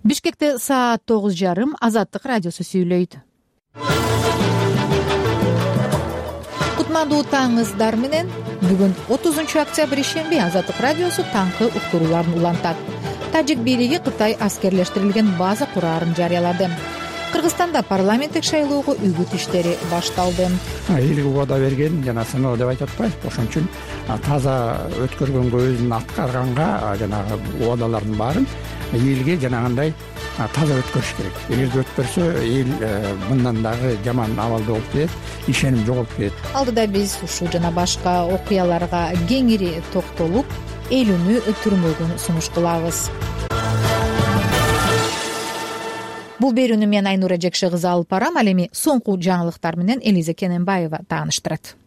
Бишкекте саат 9:30 Азаттык радиосу сүйлөйт. Кутмандуу таңыңыздар менен. Бүгүн 30 октябрь ишемби Азаттык радиосу таңкы уктурууларын улантат. Тажик бийлиги Кытай аскерлештирилген база кураарын жарыялады. Кыргызстанда парламенттик шайлоого үгүт иштери башталды. Элге убада берген жана сыноо деп айтып атпайбы, ошон үчүн таза өткөргөнгө, өзүн аткарганга жанагы убадалардын баарын элге жанагындай таза өткөрүш керек. Эгерде өткөрсө эл мындан дагы жаман абалда болуп кетет, ишеним жоголуп кетет. Алдыда биз ушул жана башка окуяларга кеңири токтолуп, элүүнү түрмөгүн сунуш кылабыз. Бул берүүнү мен Айнура Жекше кызы алып барам. Ал эми соңку жаңылыктар менен Элиза Кененбаева тааныштырат.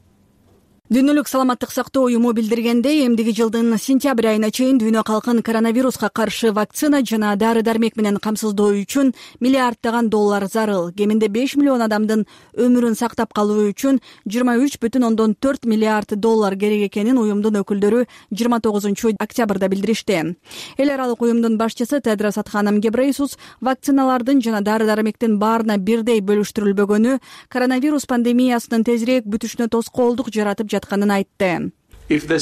Дүйнөлүк саламаттык сактоо уюму билдиргендей, эмдиги жылдын сентябрь айына чейин дүйнө калкын коронавируска каршы вакцина жана дары-дармек менен камсыздоо үчүн миллиарддаган доллар зарыл. Кеминде 5 миллион адамдын өмүрүн сактап калуу үчүн 23,4 миллиард доллар керек экенин уюмдун өкүлдөрү 29 октябрда билдиришти. Эл аралык уюмдун башчысы Тедрос Адханом Гебрейсус вакциналардын жана дары-дармектин баарына бирдей бөлүштүрүлбөгөнү коронавирус пандемиясынын тезирээк бүтүшүнө тоскоолдук жаратып жатканын айтты. Эгер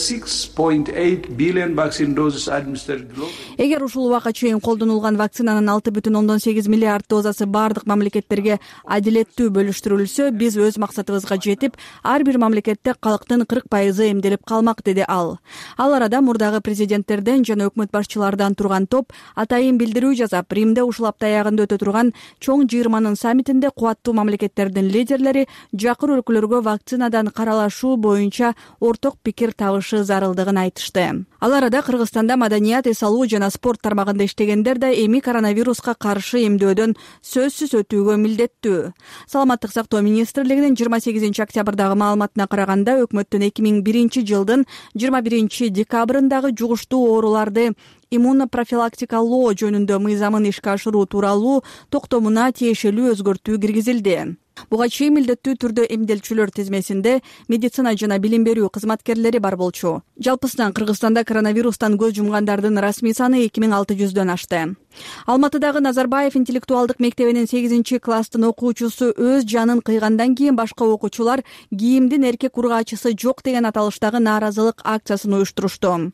ушул убакка чейин колдонулган вакцинанын 6,8 миллиард дозасы бардык мамлекеттерге адилеттүү бөлүштүрүлсө, биз өз максатыбызга жетип, ар бир мамлекетте калктын 40% эмделип калмак, деди ал. Ал арада мурдагы президенттерден жана өкмөт башчылардан турган топ атайын билдирүү жасап, Римде ушул апта аягында өтө турган чоң жыйырманын саммитинде кубаттуу мамлекеттердин лидерлери жакыр өлкөлөргө вакцинадан каралашуу боюнча орток пикир табышы зарылдыгын айтышты. Ал арада Кыргызстанда маданият, эс алуу жана спорт тармагында иштегендер да эми коронавируска каршы эмдөөдөн сөзсүз өтүүгө милдеттүү. Саламаттык сактоо министрлигинин 28 октябрдагы маалыматына караганда, өкмөттүн 2001 жылдын 21 декабрындагы жугуштуу ооруларды иммунопрофилактикалоо жөнүндө мыйзамын ишке ашыруу тууралуу токтомуна тиешелүү өзгөртүү киргизилди. Буга чейин милдеттүү түрдө эмделчүлөр тизмесинде медицина жана билим берүү кызматкерлери бар болчу. Жалпысынан Кыргызстанда коронавирустан көз жумгандардын расмий саны 2600дөн ашты. Алматыдагы Назарбаев интеллектуалдык мектебинин 8 класстын окуучусу өз жанын кыйгандан кийин башка окуучулар кийимдин эркек ургаачысы жок деген аталыштагы нааразылык акциясын уюштурушту.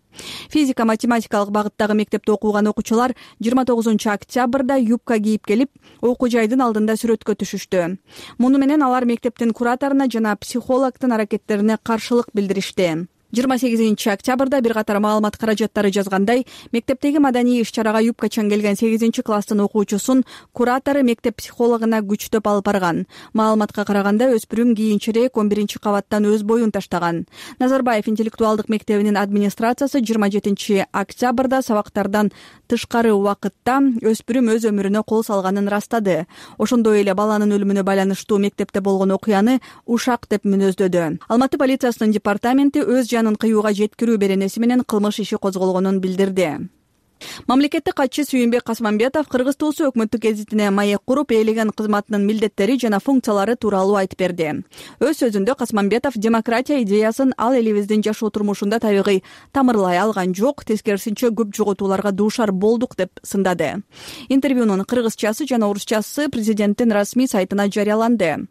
Физика-математикалык багыттагы мектепте окуган окуучулар 29 октябрда юбка кийип келип, окуу жайдын алдында сүрөткө түшүштү. Муну менен алар мектептин кураторуна жана психологдун аракеттерине каршылык билдиришти. 28 октябрда бир катар маалымат каражаттары жазгандай, мектептеги маданий иш-чарага юбкачан келген 8 класстын окуучусун куратору мектеп психологуна күчтөп алып барган. Маалыматка караганда, өспүрүм кийинчерээк 11 кабаттан өз боюн таштаган. Назарбаев интеллектуалдык мектебинин администрациясы 27 октябрда сабактардан тышкары убакытта өспүрүм өз өмүрүнө кол салганын ырастады. Ошондой эле баланын өлүмүнө байланыштуу мектепте болгон окуяны ушак деп мүнөздөдү. Алматы полициясынын департаменти өз жанын кыюуга жеткирүү беренеси менен кылмыш иши козголгонун билдирди. Мамлекеттик катчы Сүйүнбек Касманбетов Кыргыз туусу өкмөттүк гезитине маек куруп, элеген кызматынын милдеттери жана функциялары тууралуу айтып берди. Өз сөзүндө Касманбетов демократия идеясын ал элибиздин жашоо турмушунда табигый тамырлай алган жок, тескерисинче көп жоготууларга дуушар болдук деп сындады. Интервьюнун кыргызчасы жана орусчасы президенттин расмий сайтына жарыяланды.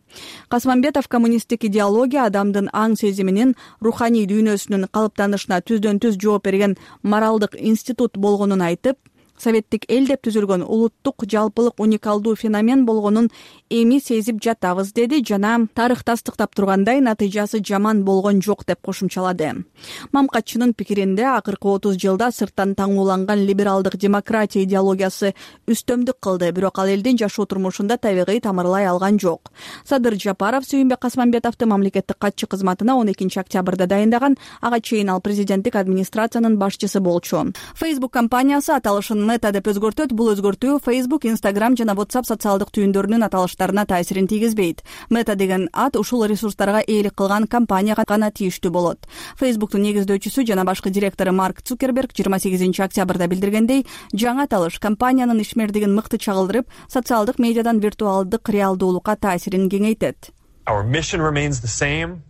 Касманбетов коммунисттик идеология адамдын аң сезиминин, руханий дүйнөсүнүн калыптанышына түздөн-түз жооп берген моралдык институт болгонун айтып, советтик эл деп түзүлгөн улуттук жалпылык уникалдуу феномен болгонун эми сезип жатабыз, деди жана тарых тастыктап тургандай, натыйжасы жаман болгон жок деп кошумчалады. Мамкатчынын пикиринде, акыркы 30 жылда сырттан таңууланган либералдык демократия идеологиясы үстөмдүк кылды, бирок ал элдин жашоо турмушунда табигый тамырлай алган жок. Садыр Жапаров Сүйүнбек Касманбетовду мамлекеттик катчы кызматына 12 октябрда дайындаган, ага чейин ал президенттик администрациянын башчысы болчу. Facebook компаниясы аталышын Meta деп өзгөртөт. Бул өзгөртүү Facebook, Instagram жана WhatsApp социалдык түйүндөрүнүн аталыштарына таасирин тийгизбейт. Meta деген ат ушул ресурстарга ээлик кылган компанияга гана тийиштүү болот. Facebooktун негиздөөчүсү жана башкы директору Марк Цукерберг 28 октябрда билдиргендей, жаңы аталыш компаниянын ишмердигин мыкты чагылдырып, социалдык медиадан виртуалдык реалдуулукка таасирин кеңейтет. Our mission remains the same.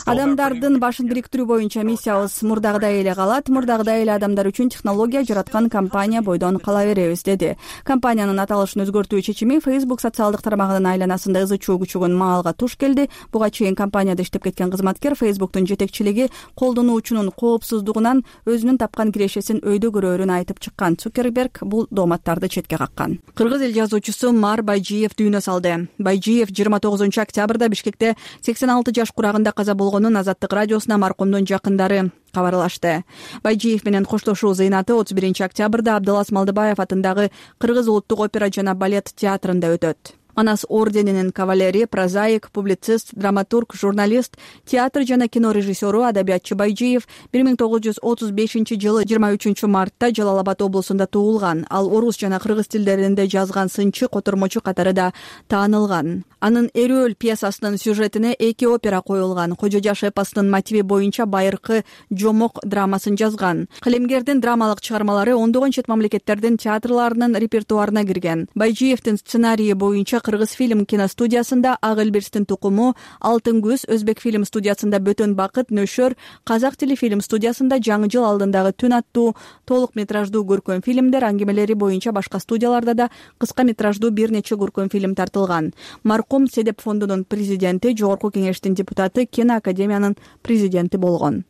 Адамдардын башын бириктирүү боюнча миссиябыз мурдагыдай эле калат. Мурдагыдай эле адамдар үчүн технология жараткан компания бойдон кала беребиз, деди. Компаниянын аталышын өзгөртүү чечими Facebook социалдык тармагынын айланасында ызы чуу күчөгөн маалга туш келди. Буга чейин компанияда иштеп кеткен кызматкер Facebooktун жетекчилиги колдонуучунун коопсуздугунан өзүнүн тапкан кирешесин өйдө көрөөрүн айтып чыккан. Цукерберг бул дооматтарды четке каккан. Кыргыз эл жазуучусу Мар Байжиев дүйнө салды. Байжиев 29-октябрда Бишкекте 86 жаш курагында каза болгонун Азаттык радиосуна маркумдун жакындары кабарлашты. Байжиев менен коштошуу зыйнаты 31-октябрда Абдылас Малдыбаев атындагы Кыргыз улуттук опера жана балет театрында өтөт. Манас орденинин кавалери, прозаик, публицист, драматург, журналист, театр жана кино режиссеру, адабиятчы Байжиев 1935-жылы 23-мартта Жалал Абад облусунда туулган. Ал орус жана кыргыз тилдеринде жазган сынчы, котормочу катары да таанылган. Анын Эрөөл пьесасынын сюжетине 2 опера коюлган. Кожо жаш эпосунун мотиви боюнча Байыркы Жомок драмасын жазган. Калемгердин драмалык чыгармалары ондогон чет мамлекеттердин театрларынын репертуарына кирген. Байжиевдин сценарийи боюнча Кыргыз фильм киностудиясында Ак Элбирстин тукуму, Алтын көз Өзбек фильм студиясында Бөтөн бакыт, Нөшөр, Казак тили фильм студиясында Жаңы жыл алдындагы түн аттуу толук метраждуу көркөм фильмдер, аңгемелери боюнча башка студияларда да кыска метраждуу бир нече көркөм фильм тартылган. Маркум Седеп фондунун президенти, Жогорку кеңештин депутаты, Кино академиянын президенти болгон.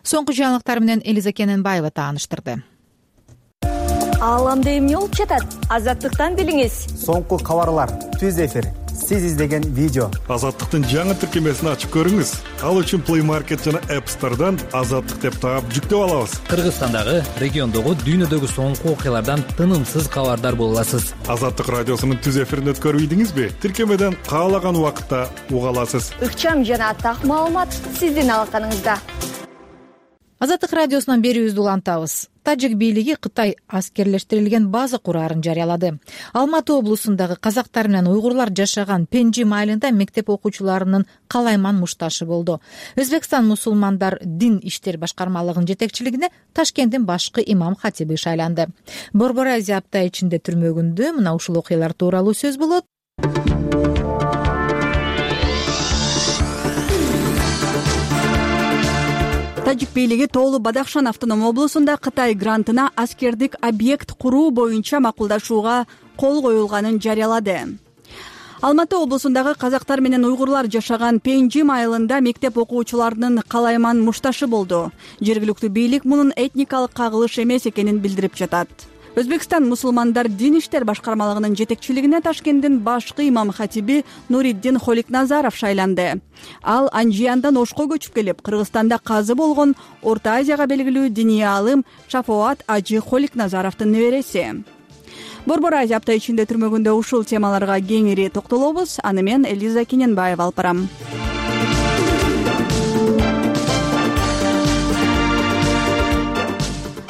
Соңку жаңылыктар менен Элиза Кененбаева тааныштырды. Ааламда эмне болуп жатат? Азаттыктан билиңиз. Соңку кабарлар, түз эфир, сиз издеген видео. Азаттыктын жаңы тиркемесин ачып көрүңүз. Ал үчүн Play Market жана App Store'дан Азаттык деп таап жүктөп алабыз. Кыргызстандагы, региондогу, дүйнөдөгү соңку окуялардан тынымсыз кабардар боло аласыз. Азаттык радиосунун түз эфирин өткөрүбүйдүңүзбү? Тиркемеден каалаган убакытта уга аласыз. Ыкчам жана так маалымат сиздин алаканыңызда. Азаттык радиосунан берүүбүздү улантабыз. Тажик бийлиги Кытай аскерлештирилген база курарын жарыялады. Алматы облусундагы казактар менен уйгурлар жашаган Пенжи майылында мектеп окуучуларынын калайман мушташы болду. Өзбекстан мусулмандар дин иштер башкармалыгынын жетекчилигине Ташкенттин башкы имам хатиби шайланды. Борбор Азия апта ичинде түрмөгүндө мына ушул окуялар тууралуу сөз болот. Тажик бийлиги Тоолу Бадахшан автоном облусунда Кытай грантына аскердик объект куруу боюнча макулдашууга кол коюлганын жарыялады. Алматы облусундагы казактар менен уйгурлар жашаган Пенжи майылында мектеп окуучуларынын калайман мушташы болду. Жергиликтүү бийлик мунун этникалык кагылыш эмес экенин билдирип жатат. Өзбекстан мусулмандар дин иштер башкармалыгынын жетекчилигине Ташкенттин башкы имам хатиби Нуриддин Холикназаров шайланды. Ал Анжияндан Ошко көчүп келип, Кыргызстанда казы болгон Орто Азияга белгилүү диний аалым Шафоат Ажы Холикназаровдун небереси. Борбор Азия апта ичинде түрмөгүндө ушул темаларга кеңири токтолобуз. Аны мен Элиза Кененбаева алып барам.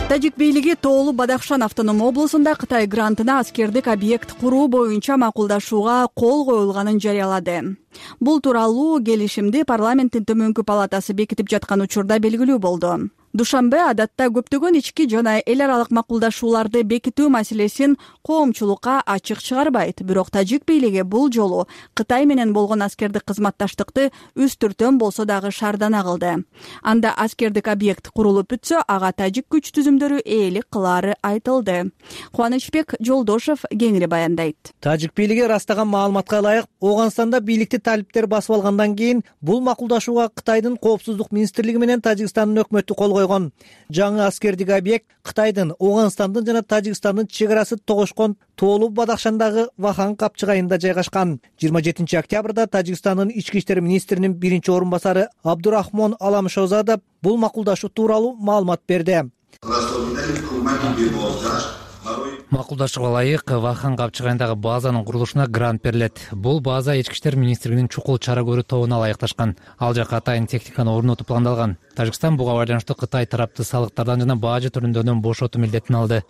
Тажик бийлиги Тоолу Бадахшан автоном облусунда Кытай грантына аскердик объект куруу боюнча макулдашууга кол коюлганын жарыялады. Бул тууралуу келишимди парламенттин төмөнкү палатасы бекитип жаткан учурда белгилүү болду. Душанбе адатта көптөгөн ички жана эл аралык макулдашууларды бекитүү маселесин коомчулукка ачык чыгарбайт. Бирок Тажик бийлиги бул жолу Кытай менен болгон аскердик кызматташтыкты үстүртөн болсо дагы шаардана кылды. Анда аскердик объект курулуп бүтсө, ага тажик күч түзүмдөрү ээлик кылаары айтылды. Кубанычбек Жолдошев кеңири баяндайт. Тажик бийлиги ырастаган маалыматка ылайык, Ооганстанда бийликти талиптер басып алгандан кийин бул макулдашууга Кытайдын коопсуздук министрлиги менен Тажикстандын өкмөтү кол койгон. Жаңы аскердик объект Кытайдын, Ооганстандын жана Тажикстандын чек арасы тогошкон Тоолу Бадахшандагы Вахан капчыгайында жайгашкан. 27-октябрда Тажикстандын ички иштер министринин биринчи орун басары Абдурахмон Аламшозадов бул макулдашуу тууралуу маалымат берди. Макулдашууга ылайык Вахан капчыгайындагы базанын курулушуна грант берилет. Бул база ички иштер министрлигинин чукул чара көрүү тобуна ылайыкташкан. Ал жакка атайын техниканы орнотуу пландалган. Тажикстан буга байланыштуу Кытай тарапты салыктардан жана бажы түрүндөрдөн бошотуу милдетин алды.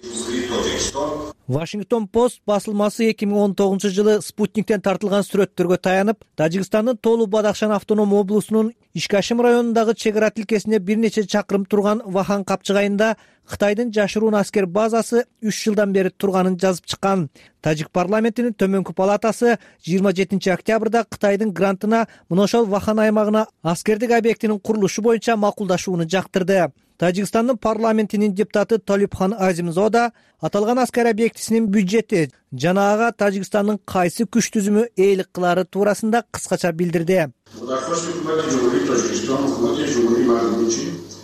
Washington Post басылмасы 2019-жылы Спутниктен тартылган сүрөттөргө таянып, Тажикстандын Толу Бадахшан автоном облусунун Ишкашим районундагы чек ара тилкесинде бир нече чакырым турган Вахан капчыгайында Кытайдын жашыруун аскер базасы 3 жылдан бери турганын жазып чыккан. Тажик парламентинин төмөнкү палатасы 27 октябрда Кытайдын грантына мына ошол Вахан аймагына аскердик объектинин курулушу боюнча макулдашууну жактырды. Тажикстандын парламентинин депутаты Толипхан Азимзода аталган аскер объектисинин бюджети жана ага Тажикстандын кайсы күч түзүмү ээлик кылаары туурасында кыскача билдирди.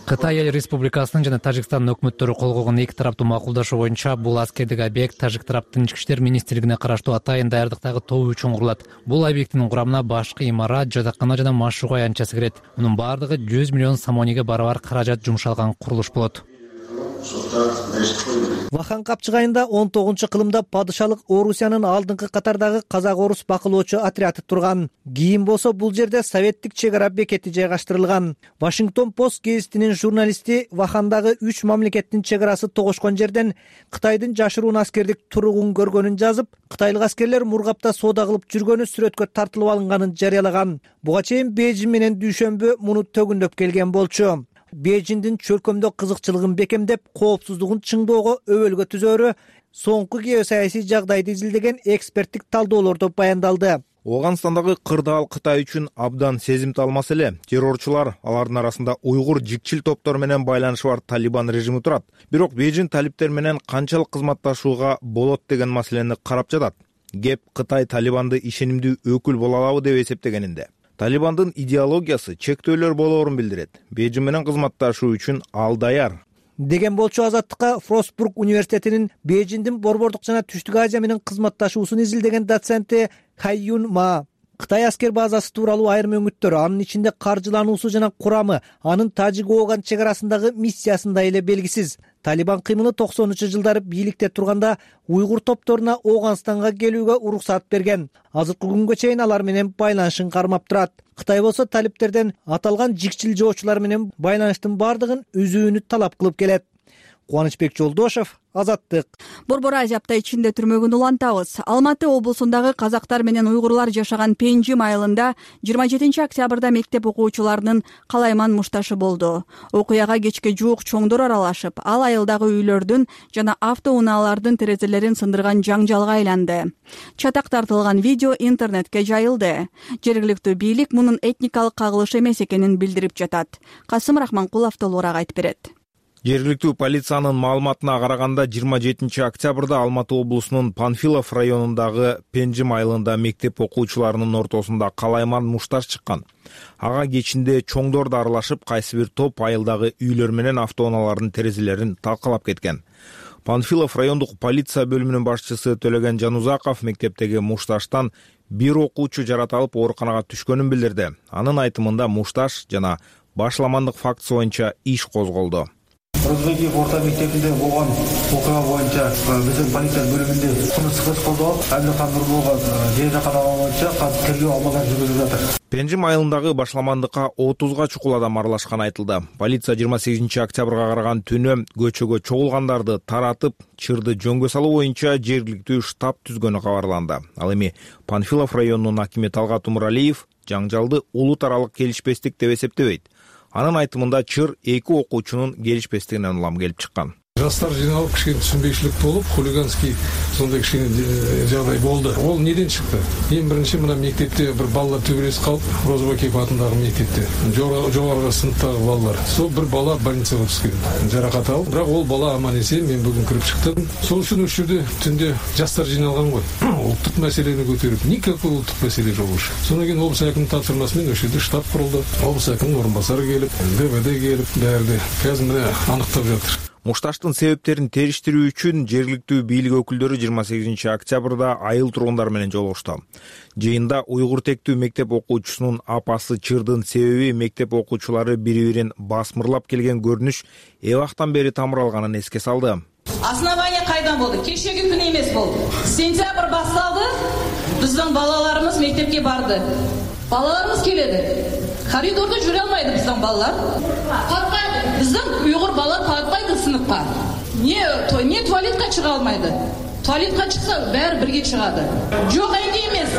Кытай Эл Республикасынын жана Тажикстандын өкмөттөрү кол койгон эки тараптуу макулдашуу боюнча бул аскердик объект Тажик тараптын ички иштер министрлигине караштуу атайын даярдыктагы тобу үчүн курулат. Бул объекттин курамына башкы имарат, жатакана жана машыгуу аянтчасы кирет. Мунун баардыгы 100 миллион самониге барабар каражат жумшалган курулуш болот. Вахан капчыгайында 19-кылымда падышалык Орусиянын алдыңкы катардагы казак-орус бакылоочу отряды турган. Кийин болсо бул жерде советтик чек ара бекети жайгаштырылган. Washington Post гезитинин журналисти Вахандагы 3 мамлекеттин чек арасы тогошкон жерден Кытайдын жашыруун аскердик туругун көргөнүн жазып, кытайлык аскерлер мургапта соода кылып жүргөнү сүрөткө тартылып алынганын жарыялаган. Буга чейин Бейжин менен Дүйшөмбү муну төгүндөп келген болчу. Бейжиндин чөлкөмдө кызыкчылыгын бекемдеп, коопсуздугун чыңдоого өбөлгө түзөрү соңку геосаясий жагдайды изилдеген эксперттик талдоолордо баяндалды. Оганстандагы кырдаал Кытай үчүн абдан сезимтал маселе. Террорчулар, алардын арасында уйгур жикчил топтор менен байланышы бар Талибан режими турат. Бирок Бейжин талиптер менен канчалык кызматташууга болот деген маселени карап жатат. Кеп Кытай Талибанды ишенимдүү өкүл боло алабы деп эсептегенинде. Талибандын идеологиясы чектөөлөр болоорун билдирет. Бейжин менен кызматташуу үчүн ал даяр деген болчу. Азаттыкка Фростбург университетинин Бейжиндин Борбордук жана Түштүк Азия менен кызматташуусун изилдеген доценти Хайюн Ма Кытай аскер базасы тууралуу айрым өңүттөр, анын ичинде каржылануусу жана курамы, анын Тажик-Оган чек арасындагы миссиясында эле белгисиз. Талибан кыймылы 90-жылдары бийликте турганда уйгур топторуна Оганстанга келүүгө уруксат берген. Азыркы күнгө чейин алар менен байланышын кармап турат. Кытай болсо талиптерден аталган жикчил жоочулар менен байланыштын бардыгын үзүүнү талап кылып келет. Кубанычбек Жолдошев, Азаттык. Борбор Азия апта ичинде түрмөгүн улантабыз. Алматы облусундагы казактар менен уйгурлар жашаган Пенжим айылында 27 октябрда мектеп окуучуларынын калайман мушташы болду. Окуяга кечке жуук чоңдор аралашып, ал айылдагы үйлөрдүн жана автоунаалардын терезелерин сындырган жаңжалга айланды. Чатак тартылган видео интернетке жайылды. Жергиликтүү бийлик мунун этникалык кагылыш эмес экенин билдирип жатат. Касым Рахманкулов толугураак айтып берет. Жергиликтүү полициянын маалыматына караганда 27 октябрда Алматы облусунун Панфилов районундагы Пенжим айылында мектеп окуучуларынын ортосунда калайман мушташ чыккан. Ага кечинде чоңдор да аралашып, кайсы бир топ айылдагы үйлөр менен автоунаалардын терезелерин талкалап кеткен. Панфилов райондук полиция бөлүмүнүн башчысы Төлөгөн Жанузаков мектептеги мушташтан бир окуучу жаратылып ооруканага түшкөнүн билдирди. Анын айтымында мушташ жана башламандык фактысы боюнча иш козголду. Өзбеков орта мектебинде болгон окуя боюнча биздин полиция бөлүмүндө кылмыштык иш козголуп, Абилхан Нурболго жайжакана боюнча тергөө амалдары жүргүзүлүп жатыр. Пенжим айылындагы башламандыкка 30га чукул адам аралашканы айтылды. Полиция 28 октябрга караган түнү көчөгө чогулгандарды таратып, чырды жөнгө салуу боюнча жергиликтүү штаб түзгөнү кабарланды. Ал эми Панфилов районунун акими Талгат Умуралиев жаңжалды улут аралык келишпестик деп эсептебейт. Анын айтымында чыр эки окуучунун келишпестигинен улам келип чыккан. Жастар жиналып кичине түшүнбөйчүлүк болуп, хулиганский сондай кичине жагдай болду. Ол неден чыкты? Эң биринчи мына мектепте бир балдар төбөлөсүп калып, Розыбакиев атындагы мектепте жогорку сыныптагы балдар. Сол бир бала больницага түшкөн, жаракат алып, бирок ол бала аман эсен, мен бүгүн кирип чыктым. Сол үчүн ушул жерде түндө жастар жиналган го. Улуттук маселени көтөрүп, никакой улуттук маселе жок ушу. Сондан кийин облус акиминин тапшырмасы менен ошол жерде штаб курулду. Облус акиминин орун басары келип, ДВД келип, баарды азыр мына аныктап жатыр. Мушташтын себептерин териштирүү үчүн жергиликтүү бийлик өкүлдөрү 28 октябрда айыл тургундары менен жолугушту. Жыйында уйгур тектүү мектеп окуучусунун апасы чырдын себеби мектеп окуучулары бири-бирин басмырлап келген көрүнүш эбактан бери тамыр алганын эске салды. Основание кайдан болду? Кечеги күнү эмес болду. Сентябрь башталды. Биздин балаларыбыз мектепке барды. Балаларыбыз келеди. Коридорда жүрө алмайды биздин балалар. Каткайды. Биздин уйгур бала каткайды сыныпка. Не туалетке чыга алмайды. туалетке чыкса баары бирге чыгады. Жок энди эмес.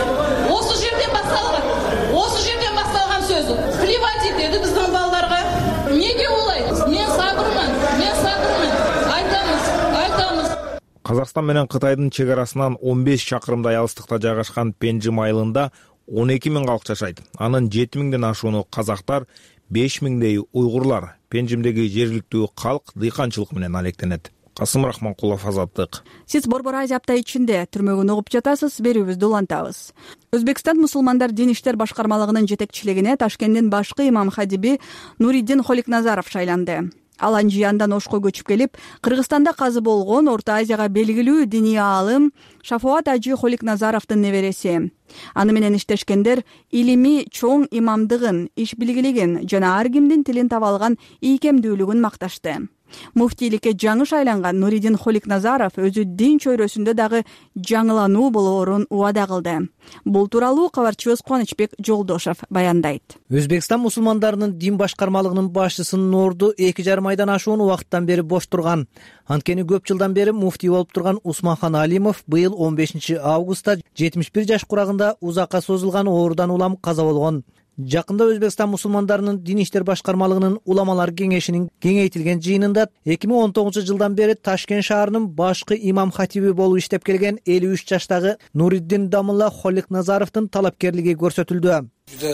Осы жерден башталган сөз. Плевать этеди биздин балдарга. Неге олай? Мен сабырмын. Айтамыз. Казакстан менен Кытайдын чек арасынан 15 чакырымдай алыстыкта жайгашкан Пенжим айылында 12 000 калк жашайт. Анын 7 000ден ашууну казактар, 5 000дей уйгурлар. Пенжимдеги жергиликтүү калк дыйканчылык менен алектенет. Касым Рахманкулов, Азаттык. Сиз Борбор Азия апта ичинде түрмөгүн угуп жатасыз, берүүбүздү улантабыз. Өзбекстан мусулмандар дин иштер башкармалыгынын жетекчилигине Ташкенттин башкы имам хадиби Нуриддин Холикназаров шайланды. Ал Анжияндан Ошко көчүп келип, Кыргызстанда казы болгон Орто Азияга белгилүү диний аалым Шафоат Ажи Холикназаровдун небереси. Аны менен иштешкендер илимий чоң имамдыгын, иш билгилигин жана ар кимдин тилин таба алган ийкемдүүлүгүн макташты. Муфтийликке жаңы шайланган Нуриддин Холикназаров өзү дин чөйрөсүндө дагы жаңылануу болоорун убада кылды. Бул тууралуу кабарчыбыз Кубанычбек Жолдошов баяндайт. Өзбекстан мусулмандарынын дин башкармалыгынын башчысынын орду 2,5 айдан ашуун убакыттан бери бош турган. Анткени көп жылдан бери муфтий болуп турган Усманхан Алимов быйыл 15 августта 71 жаш курагында узакка созулган оорудан улам каза болгон. Жакында Өзбекстан мусулмандарынын дин иштер башкармалыгынын уламалар кеңешинин кеңейтилген жыйынында 2019 жылдан бери Ташкент шаарынын башкы имам хатиби болуп иштеп келген 53 жаштагы Нуриддин Дамулла Холикназаровдун талапкерлиги көрсөтүлдү. Juda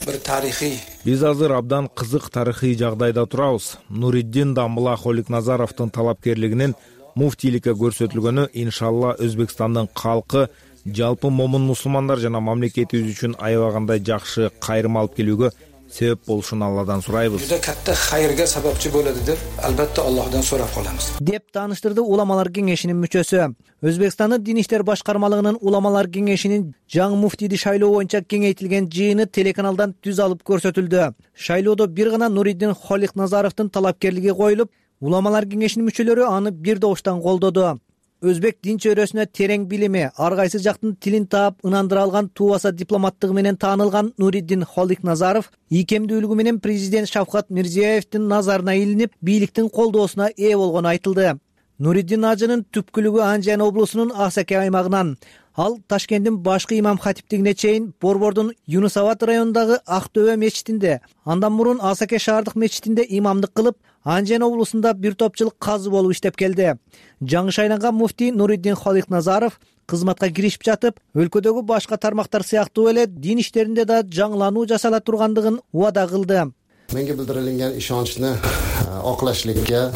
bir tarixiy. Биз азыр абдан кызык тарыхый жагдайда турабыз. Нуриддин Дамулла Холикназаровдун талапкерлигинин муфтийликке көрсөтүлгөнү иншалла Өзбекстандын калкы, жалпы момун мусулмандар жана мамлекетибиз үчүн аябагандай жакшы кайрым алып келүүгө себеп болушун Алладан сурайбыз. Juda katta xayrga sababchi bo'ladi deb albatta Allohdan so'rab qolamiz. Деп тааныштырды уламалар кеңешинин мүчөсү. Өзбекстандын дин иштер башкармалыгынын уламалар кеңешинин жаңы муфтийди шайлоо боюнча кеңейтилген жыйыны телеканалдан түз алып көрсөтүлдү. Шайлоодо бир гана Нуриддин Холикназаровдун талапкерлиги коюлуп, уламалар кеңешинин мүчөлөрү аны бир добуштан колдоду. Өзбек дин чөйрөсүнө терең билими, ар кайсы жактын тилин таап ынандыра алган туубаса дипломаттыгы менен таанылган Нуриддин Холикназаров ийкемдүүлүгү менен президент Шавкат Мирзиеевдин назарына илинип, бийликтин колдоосуна ээ болгону айтылды. Нуриддин ажынын түпкүлүгү Анжан облусунун Асаке аймагынан. Ал Ташкенттин башкы имам хатиптигине чейин Борбордун Юнусабад районундагы Ак Төбө мечитинде, андан мурун Асаке шаардык мечитинде имамдык кылып, Анжан облусунда бир топ жыл казы болуп иштеп келди. Жаңы шайланган муфтий Нуриддин Холикназаров кызматка киришип жатып, өлкөдөгү башка тармактар сыяктуу эле дин иштеринде да жаңылануу жасала тургандыгын убада кылды. Menga bildirilgan ishonchni oqlashlikka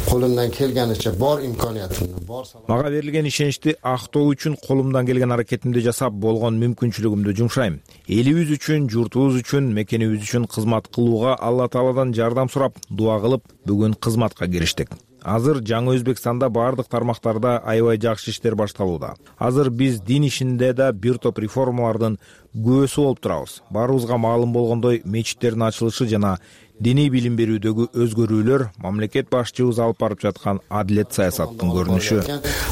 qo'limdan kelganicha bor imkoniyatimni, bor Мага берилген ишеничти актоо үчүн колумдан келген аракетимди жасап болгон мүмкүнчүлүгүмдү жумшайм. Элибиз үчүн, журтубуз үчүн, мекенибиз үчүн кызмат кылууга Алла Тааладан жардам сурап, дуа кылып, бүгүн кызматка кириштик. Азыр жаңы Өзбекстанда бардык тармактарда аябай жакшы иштер башталууда. Азыр биз дин ишинде да бир топ реформалардын көөсү болуп турабыз. Баарыбызга маалым болгондой, мечиттердин ачылышы жана диний билим берүүдөгү өзгөрүүлөр мамлекет башчыбыз алып барып жаткан адилет саясаттын көрүнүшү.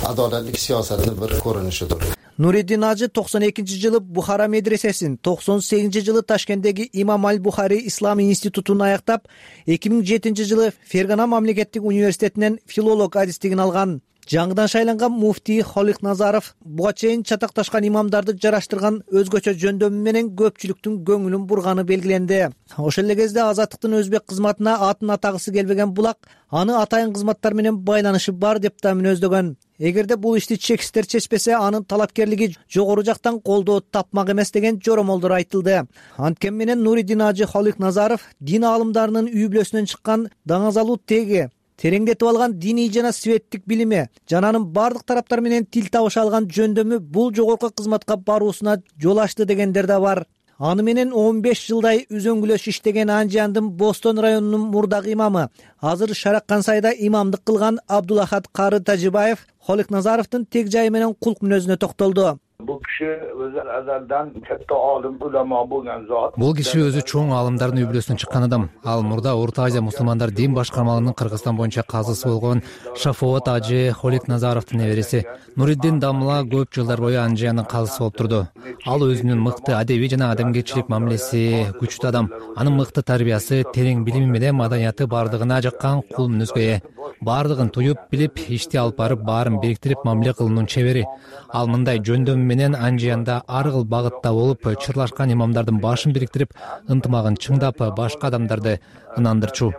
Адолаттык саясаттын бир көрүнүшүдүр. Нуриддин Ажы 92-жылы Бухара медресесин, 98-жылы Ташкенттеги Имам Аль-Бухари Ислам институтун аяктап, 2007-жылы Фергана мамлекеттик университетинен филолог адистигин алган. Жаңыдан шайланган муфтий Холикназаров буга чейин чатакташкан имамдарды жараштырган өзгөчө жөндөмү менен көпчүлүктүн көңүлүн бурганы белгиленди. Ошол эле кезде Азаттыктын өзбек кызматына атын атагысы келбеген булак аны атайын кызматтар менен байланышы бар деп да мүнөздөгөн. Эгерде бул ишти чекисттер чечпесе, анын талапкерлиги жогору жактан колдоо тапмак эмес деген жоромолдор айтылды. Анткени менен Нуриддин Ажы Холикназаров дин аалымдарынын үй бүлөсүнөн чыккан даңазалуу теги, тереңдетип алган диний жана светтик билими жана анын бардык тараптар менен тил табыша алган жөндөмү бул жогорку кызматка баруусуна жол ачты дегендер да бар. Аны менен 15 жылдай үзөңгүлөш иштеген Анжандын Бостон районунун мурдагы имамы, азыр Шараккан сайда имамдык кылган Абдулахат Кары Тажибаев Холикназаровдун тег жайы менен кулк мүнөзүнө токтолду. Бул киши өзү азалдан катта олим, улама болгон зат. Бул киши өзү чоң аалымдардын үй-бүлөсүнөн чыккан адам. Ал мурда Орто Азия мусулмандар дин башкармалыгынын Кыргызстан боюнча казысы болгон Шафоот ажы Холик Назаровдун небереси. Нуриддин Дамла көп жылдар бою Анжиянын казысы болуп турду. Ал өзүнүн мыкты адеби жана адамгерчилик мамилеси күчтүү адам. Анын мыкты тарбиясы, терең билими менен маданияты бардыгына жаккан кул мүнөзгө ээ. Бардыгын туюп билип, ишти алып барып, баарын бириктирип мамиле кылуунун чебери. Ал мындай жөндөм менен Анжиянда ар кыл багытта болуп, чырлашкан имамдардын башын бириктирип, ынтымагын чыңдап, башка адамдарды ынандырчу.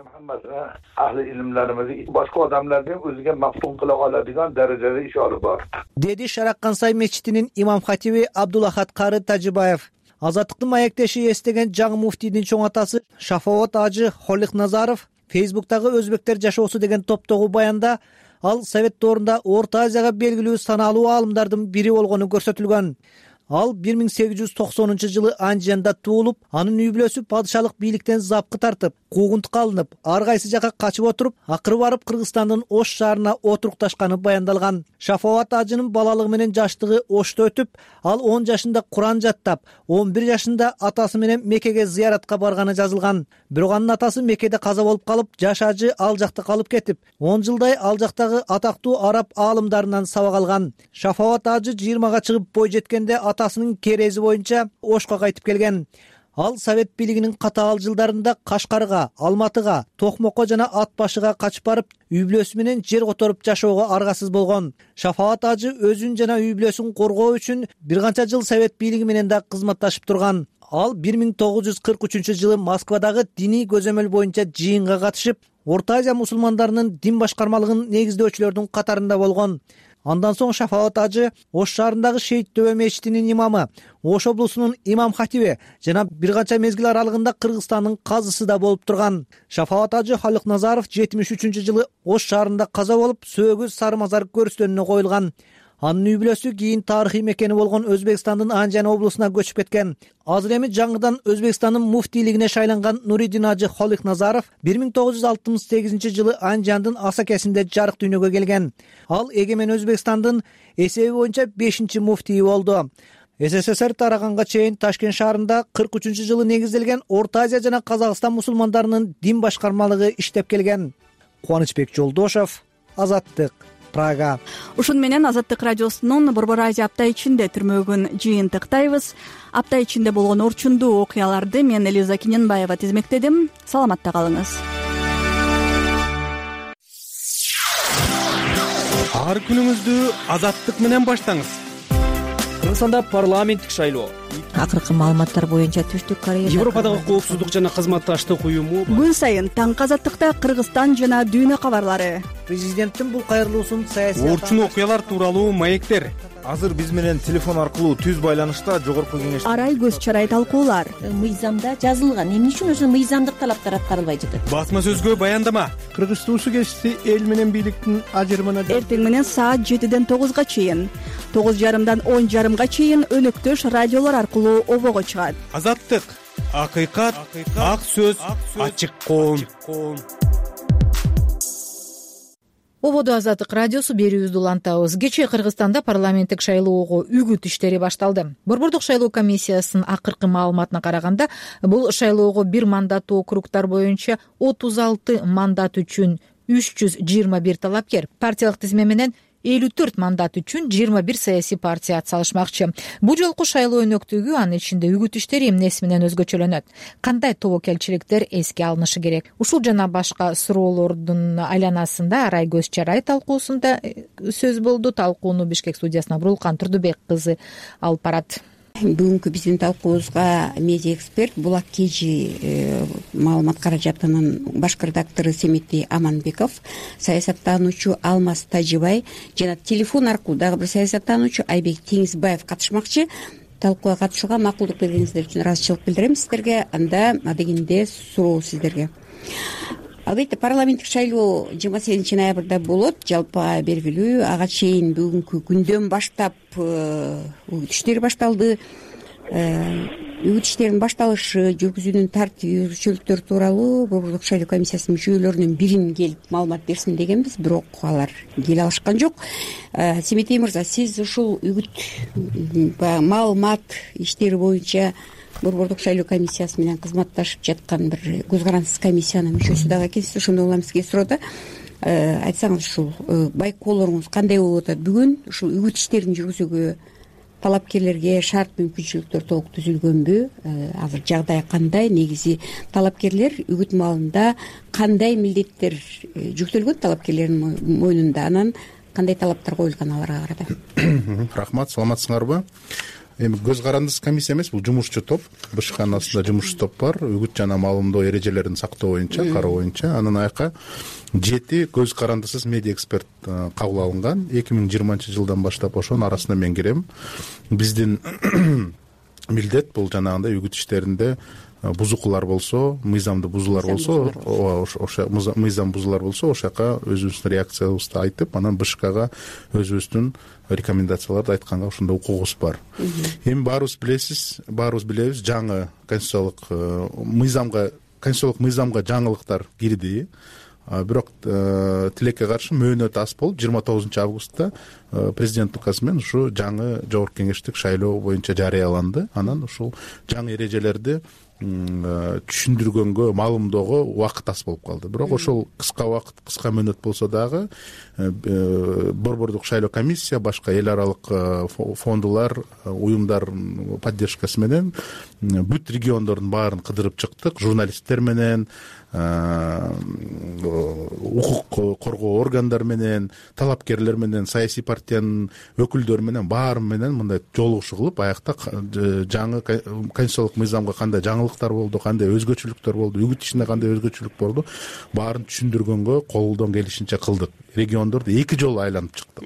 Ahli ilimlerimizi başka adamlardan özüge maftun kıla aladigan derecede iş alıp var. Dedi Şaraqqansay мечитинин имам хатиби Абдулахат Кары Тажибаев. Азаттыктын маектеши эстеген жаңы муфтийдин чоң атасы Шафоот ажы Холик Назаров Фейсбуктагы өзбектер жашоосу деген топтогу баянда ал Совет доорунда Орто Азияга белгилүү саналуу аалымдардын бири болгону көрсөтүлгөн. Ал 1890-жылы Анжиянда туулуп, анын үй-бүлөсү падышалык бийликтен запкы тартып, куугунтукка алынып, ар кайсы жака качып отуруп, акыры барып Кыргызстандын Ош шаарына отурукташканы баяндалган. Шафоот ажынын балалыгы менен жаштыгы Ошто өтүп, ал 10 жашында Куран жаттап, 11 жашында атасы менен Меккеге зыяратка барганы жазылган. Бирок анын атасы Меккеде каза болуп калып, жаш ажы ал жакта калып кетип, 10 жылдай ал жактагы атактуу араб аалымдарынан сабак алган. Шафоот ажы 20га чыгып бой жеткенде атасынын керези боюнча Ошко кайтып келген. Ал Совет бийлигинин катаал жылдарында Кашкарга, Алматыга, Токмокко жана Ат башыга качып барып, үй-бүлөсү менен жер которуп жашоого аргасыз болгон. Шафоот ажы өзүн жана үй-бүлөсүн коргоо үчүн бир канча жыл Совет бийлиги менен да кызматташып турган. Ал 1943-жылы Москвадагы диний көзөмөл боюнча жыйынга катышып, Орто Азия мусулмандарынын дин башкармалыгын негиздөөчүлөрдүн катарында болгон. Андан соң Шафоот ажы Ош шаарындагы Шейит Төбө мечитинин имамы, Ош облусунун имам хатиби жана бир канча мезгил аралыгында Кыргызстандын казысы да болуп турган. Шафоот ажы Холик Назаров 73-жылы Ош шаарында каза болуп, сөөгү Сары Мазар көрүстөнүнө коюлган. Анын үй-бүлөсү кийин тарыхый мекени болгон Өзбекстандын Анжан облусуна көчүп кеткен. Азыр эми жаңыдан Өзбекстандын муфтийлигине шайланган Нуриддин ажы Холик Назаров 1968-жылы Анжандын Асакесинде жарык дүйнөгө келген. Ал эгемен Өзбекстандын эсеби боюнча 5-чи муфтийи болду. СССР тараганга чейин Ташкент шаарында 43-жылы негизделген Орто Азия жана Казакстан мусулмандарынын дин башкармалыгы иштеп келген. Кубанычбек Жолдошов, Азаттык, Прага. Ушун менен Азаттык радиосунун Борбор Азия апта ичинде түрмөгүн жыйынтыктайбыз. Апта ичинде болгон орчундуу окуяларды мен Элиза Киненбаева тизмектедим. Саламатта калыңыз. Ар күнүңүздү Азаттык менен баштаңыз. Кыргызстанда парламенттик шайлоо. Акыркы маалыматтар боюнча Түштүк Корея, Европадагы коопсуздук жана кызматташтык уюму. Күн сайын таңкы Азаттыкта Кыргызстан жана дүйнө кабарлары. Президенттин бул кайрылуусун саясий Орчун окуялар тууралуу маектер. Азыр биз менен телефон аркылуу түз байланышта жогорку кеңеш Арай көз чарай талкуулар. Мыйзамда жазылган, эмне үчүн ошо мыйзамдык талаптар аткарылбай жатат? Басма сөзгө баяндама. Кыргыз туусу кесиси эл менен бийликтин ажырымына Эртең менен саат 7-ден 9-га чейин, 9:30-дан 10:30-га чейин өнөктөш радиолор аркылуу обого чыгат. Азаттык, акыйкат, ак сөз, ачык коом. Ободо Азаттык радиосу берүүбүздү улантабыз. Кечээ Кыргызстанда парламенттик шайлоого үгүт иштери башталды. Борбордук шайлоо комиссиясынын акыркы маалыматына караганда, бул шайлоого бир мандаттуу округтар боюнча 36 мандат үчүн 321 талапкер, партиялык тизме менен 54 мандат үчүн 21 саясий партия атсалышмакчы. Бул жолку шайлоо өнөктүгү анын ичинде үгүт иштери эмнеси менен өзгөчөлөнөт? Кандай тобокелчиликтер эске алынышы керек? Ушул жана башка суроолордун айланасында Арай көз чарай талкуусунда сөз болду. Талкууну Бишкек студиясына Бурулкан Турдубек кызы алып барат. Бүгүнкү биздин талкуубузга медиа эксперт Булак Кежи маалымат каражатынын баш редактору Семетти Аманбеков, саясаттануучу Алмаз Тажибай жана телефон аркылуу дагы бир саясаттануучу Айбек Теңизбаев катышмакчы. Талкууга катышууга макулдук бергениңиздер үчүн ыраазычылык билдирем сиздерге. Анда адегенде суроо сиздерге. Албетте парламенттик шайлоо 28-ноябрда болот. Жалпы белгилүү, ага чейин бүгүнкү күндөн баштап үгүт иштери башталды. үгүт иштеринин башталышы, жүргүзүүнүн тартиби, өзгөчөлүктөр тууралуу Борбордук шайлоо комиссиясынын мүчөлөрүнүн бирин келип маалымат берсин дегенбиз, бирок алар келе алышкан жок. Семетей мырза, сиз ушул үгүт маалымат иштери боюнча Борбордук шайлоо комиссиясы менен кызматташып жаткан бир көз карандысыз комиссиянын мүчөсү дагы экенсиз. Ошондой улам сизге суроодо айтсаңыз, ушул байкоолоруңуз кандай болуп атат бүгүн? Ушул үгүт иштерин жүргүзүүгө талапкерлерге шарт мүмкүнчүлүктөр толук түзүлгөнбү? Азыр жагдай кандай? Негизи талапкерлер үгүт маалында кандай милдеттер жүктөлгөн талапкерлердин мойнунда? Анан кандай талаптар коюлган аларга карата? Рахмат, саламатсыңарбы? Эми көз карандысыз комиссия эмес, бул жумушчу топ. БШКнын астында жумушчу топ бар. Үгүт жана маалымдоо эрежелерин сактоо боюнча, кароо боюнча. Анан аяка 7 көз карандысыз медиа эксперт кабыл алынган. 2020-жылдан баштап ошонун арасына мен кирем. Биздин милдет бул жанагындай үгүт иштеринде бузукулар болсо, мыйзамды бузуулар болсо, ошо мыйзам бузуулар болсо, ошол жака өзүбүздүн реакциябызды айтып, анан БШКга өзүбүздүн рекомендацияларды айтканга ошондой укугубуз бар. Эми баарыбыз билебиз, жаңы конституциялык мыйзамга жаңылыктар кирди. Бирок тилекке каршы мөөнөт аз болуп 29 августта президенттин указы менен ушу жаңы жогорку кеңештик шайлоо боюнча жарыяланды. Анан ушул жаңы эрежелерди түшүндүргөнгө, маалымдоого убакыт аз болуп калды. Бирок ошол кыска убакыт, кыска мөөнөт болсо дагы Борбордук шайлоо комиссия, башка эл аралык фондулар, уюмдар поддержкасы менен бүт региондордун баарын кыдырып чыктык. Журналисттер менен, укук коргоо органдар менен, талапкерлер менен, саясий партиянын өкүлдөрү менен, баары менен мындай жолугушуу кылып, аякта жаңы конституциялык мыйзамга кандай жаңылыктар болду, кандай өзгөчөлүктөр болду, үгүт ишинде кандай өзгөчөлүк болду, баарын түшүндүргөнгө колдон келишинче кылдык. Региондорду 2 жолу айланып чыктык.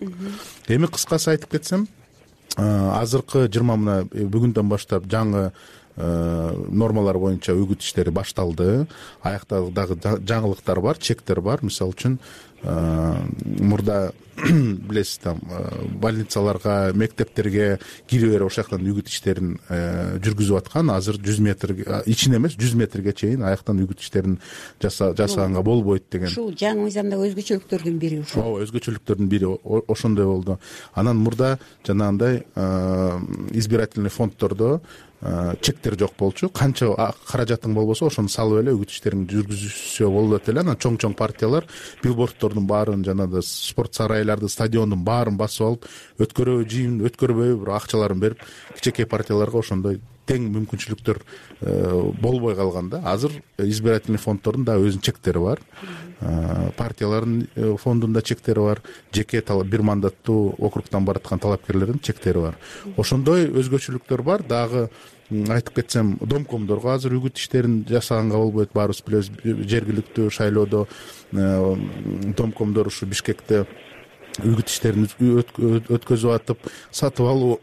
Эми кыскасы айтып кетсем, азыркы 20 бүгүндөн баштап жаңы нормалар боюнча үгүт иштери башталды. Аякта дагы жаңылыктар бар, чектер бар. Мисалы үчүн мурда билесиз, там больницаларга, мектептерге кире берип ошол жактан үгүт иштерин жүргүзүп аткан. Азыр 100 метр ичине эмес, 100 метрге чейин аяктан үгүт иштерин жасаганга болбойт деген. Ушул жаңы мыйзамдагы өзгөчөлүктөрдүн бири ушул. Ооба, өзгөчөлүктөрдүн бири ошондой болду. Анан мурда жанагындай избирательный фонддордо чектер жок болчу. Канча каражатың болбосо ошону салып эле үгүт иштерин жүргүзүшсө болот эле. Анан чоң партиялар билборддордун баарын, жанагы спорт сарайларды, стадиондун баарын басып алып, өткөрөбү, жыйын өткөрбөйбү, бирок акчаларын берип, кичинекей партияларга ошондой тең мүмкүнчүлүктөр болбой калган да. Азыр избирательный фонддордун да өзүнүн чектери бар. Партиялардын фондунда чектери бар. Жеке бир мандаттуу округтан бараткан талапкерлердин чектери бар. Ошондой өзгөчөлүктөр бар. Дагы айтып кетсем, домкомдорго азыр үгүт иштерин жасаганга болбойт. Баарыбыз билебиз, жергиликтүү шайлоодо домкомдор ушу Бишкекте үгүт иштерин өткөзүп атып, сатып алуу,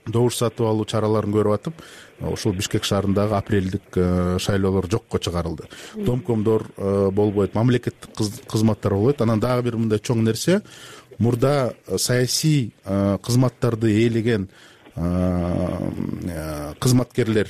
добуш сатып алуу чараларын көрүп атып, ошол Бишкек шаарындагы апрелдик шайлоолор жокко чыгарылды. Домкомдор болбойт, мамлекеттик кызматтар болбойт. Анан дагы бир мындай чоң нерсе, мурда саясий кызматтарды ээлеген кызматкерлер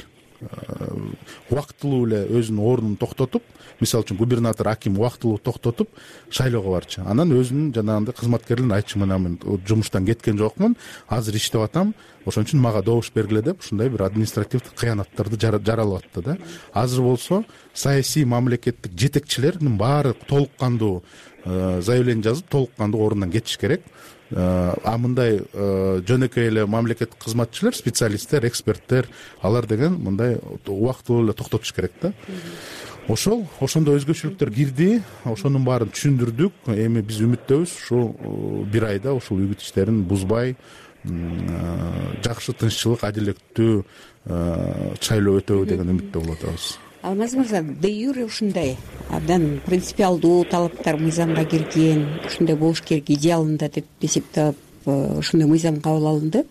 убактылуу эле өзүнүн ордун токтотуп, мисалы үчүн губернатор, аким убактылуу токтотуп шайлоого барчу. Анан өзүнүн жанагындай кызматкерлерин айтчу, мен жумуштан кеткен жокмун, азыр иштеп атам, ошон үчүн мага добуш бергиле деп, ушундай бир административдик кыянаттарды жаралып атты да. Азыр болсо саясий мамлекеттик жетекчилердин баары толук кандуу заявление жазып, толук кандуу ордунан кетиш керек. Мындай жөнөкөй эле мамлекеттик кызматчылар, специалисттер, эксперттер, алар деген мындай убактылуу эле токтотуш керек да. Ошондой өзгөчөлүктөр кирди, ошонун баарын түшүндүрдүк. Эми биз үмүттөбүз, ушул бир айда ушул үгүт иштерин бузбай, жакшы, тынччылык, адилеттүү шайлоо өтөбү деген үмүттө болуп атабыз. Алмаз мырза, де юре ушундай абдан принципиалдуу талаптар мыйзамга кирген, ушундай болуш керек идеалында деп эсептеп ушундай мыйзам кабыл алынды.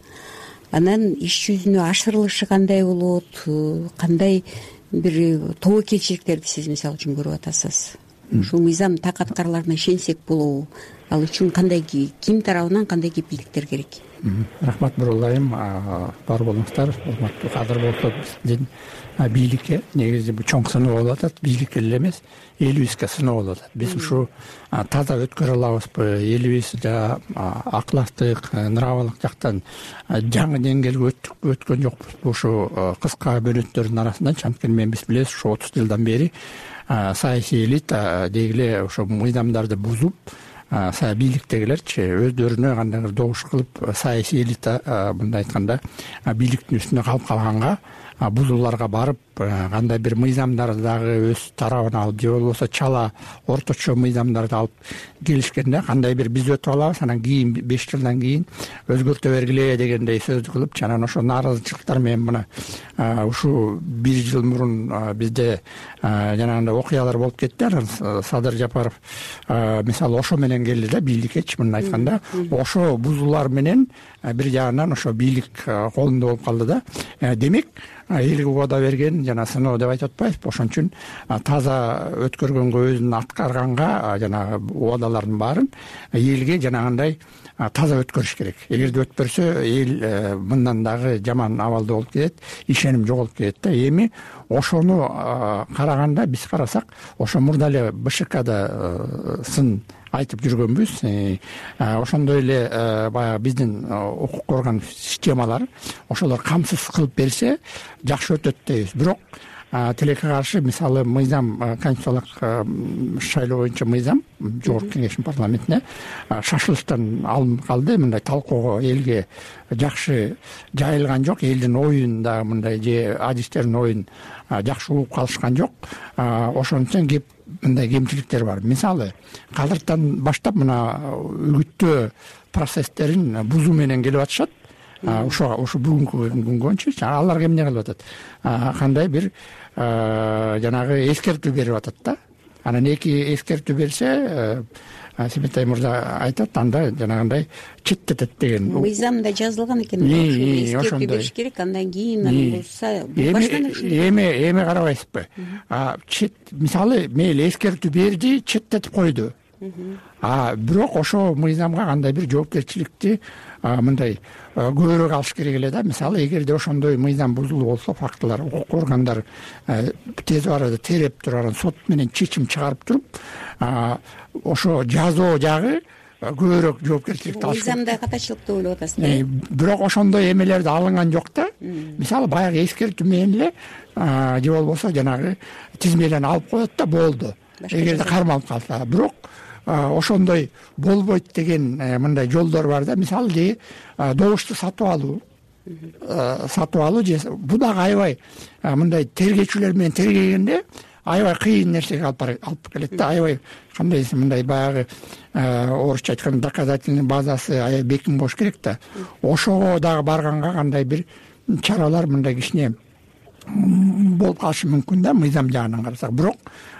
Анан иш жүзүнө ашырылышы кандай болот, кандай бир тобокелчиликтерди сиз мисалы үчүн көрүп атасыз? Ушул мыйзам так аткарыларына ишенсек болобу? Ал үчүн кандай, ким тарабынан кандай кепилдиктер керек? Рахмат Бурулайым, бар болуңуздар. Урматтуу кадыр болсо биздин бийликке негизи бул чоң сыноо болуп атат, бийликке эле эмес, элибизге сыноо болуп атат. Биз ушу таза өткөрө алабызбы, элибиз аклаштык, нравалык жактан жаңы деңгээлге өткөн жокпузбу ушу кыска бөлөттөрдүн арасынан. Анткени биз билебиз, ушу 30 жылдан бери саясий элита дегиле ошо мыйзамдарды бузуп, бийликтегилерчи өздөрүнө кандайдыр добуш кылып, саясий элита мындай айтканда бийликтин үстүнө калып калганга, бузууларга барып, кандай бир мыйзамдарды дагы өз тарабына алып, же болбосо чала орточо мыйзамдарды алып келишкенде, кандай бир биз өтүп алабыз, анан кийин 5 жылдан кийин өзгөртө бергиле дегендей сөздү кылып, анан ошо нааразычылыктар менен мына ушу 1 жыл мурун бизде жанагындай окуялар болуп кетти. Анан Садыр Жапаров мисалы ошо менен келди да бийликкечи, мындай айтканда ошо бузуулар менен бир жагынан ошо бийлик колунда болуп калды да. Демек элге убада берген жана сыноо деп айтып атпайбызбы? Ошон үчүн таза өткөргөнгө, өзүн аткарганга жанагы убадалардын баарын элге жанагындай таза өткөрүш керек. Эгерде өтпөрсө, эл мындан дагы жаман абалда болуп кетет, ишеним жоголуп кетет да. Эми ошону караганда, биз карасак, ошо мурда эле БШКда сын айтып жүргөнбүз. Ошондой эле баягы биздин укук орган системалары ошолор камсыз кылып берсе жакшы өтөт дейбиз. Бирок тилекке каршы, мисалы мыйзам, конституциялык шайлоо боюнча мыйзам жогорку кеңештин парламентине шашылыштан алынып калды. Мындай талкуого элге жакшы жайылган жок, элдин оюн дагы мындай же адистердин оюн жакшы угуп калышкан жок. Ошон үчүн мындай кемчиликтер бар. Мисалы, кадыртан баштап мына үгүттөө процесстерин бузуу менен келип атышат. Ошо бүгүнкү күнгөнчү аларга эмне кылып атат? Кандай бир жанагы эскертүү берип атат да. Анан эки эскертүү берсе, Семетай мырза айтат, анда жанагындай четтетет деген. Мыйзамда жазылган экен. Эскертүү бериш керек, андан кийин булса баштан эми карабайсызбы? Мисалы, мейли эскертүү берди, четтетип койду. Бирок ошо мыйзамга кандай бир жоопкерчиликти мындай көбүрөөк алыш керек эле да. Мисалы, эгерде ошондой мыйзам бузулуу болсо, фактылар, укук органдар тез арада тереп туруп, сот менен чечим чыгарып туруп, ошо жазоо жагы көбүрөөк жоопкерчиликти алыш. Мыйзамда катачылык деп ойлоп атасыз. Бирок ошондой эмелерди алынган жок да. Мисалы, баягы эскертүү менен эле же болбосо жанагы тизмеден алып коет да, болду. Эгерде кармалып калса. Бирок ошондой болбойт деген мындай жолдор бар да. Мисалы, добушту сатып алуу же бул дагы аябай мындай тергөөчүлөр менен тергегенде аябай кыйын нерсеге алып келет да. Аябай кандай мындай баягы орусча айтканда доказательный базасы аябай бекем болуш керек да. Ошого дагы барганга кандай бир чаралар мындай кичине болуп калышы мүмкүн да, мыйзам жагынан карасак. Бирок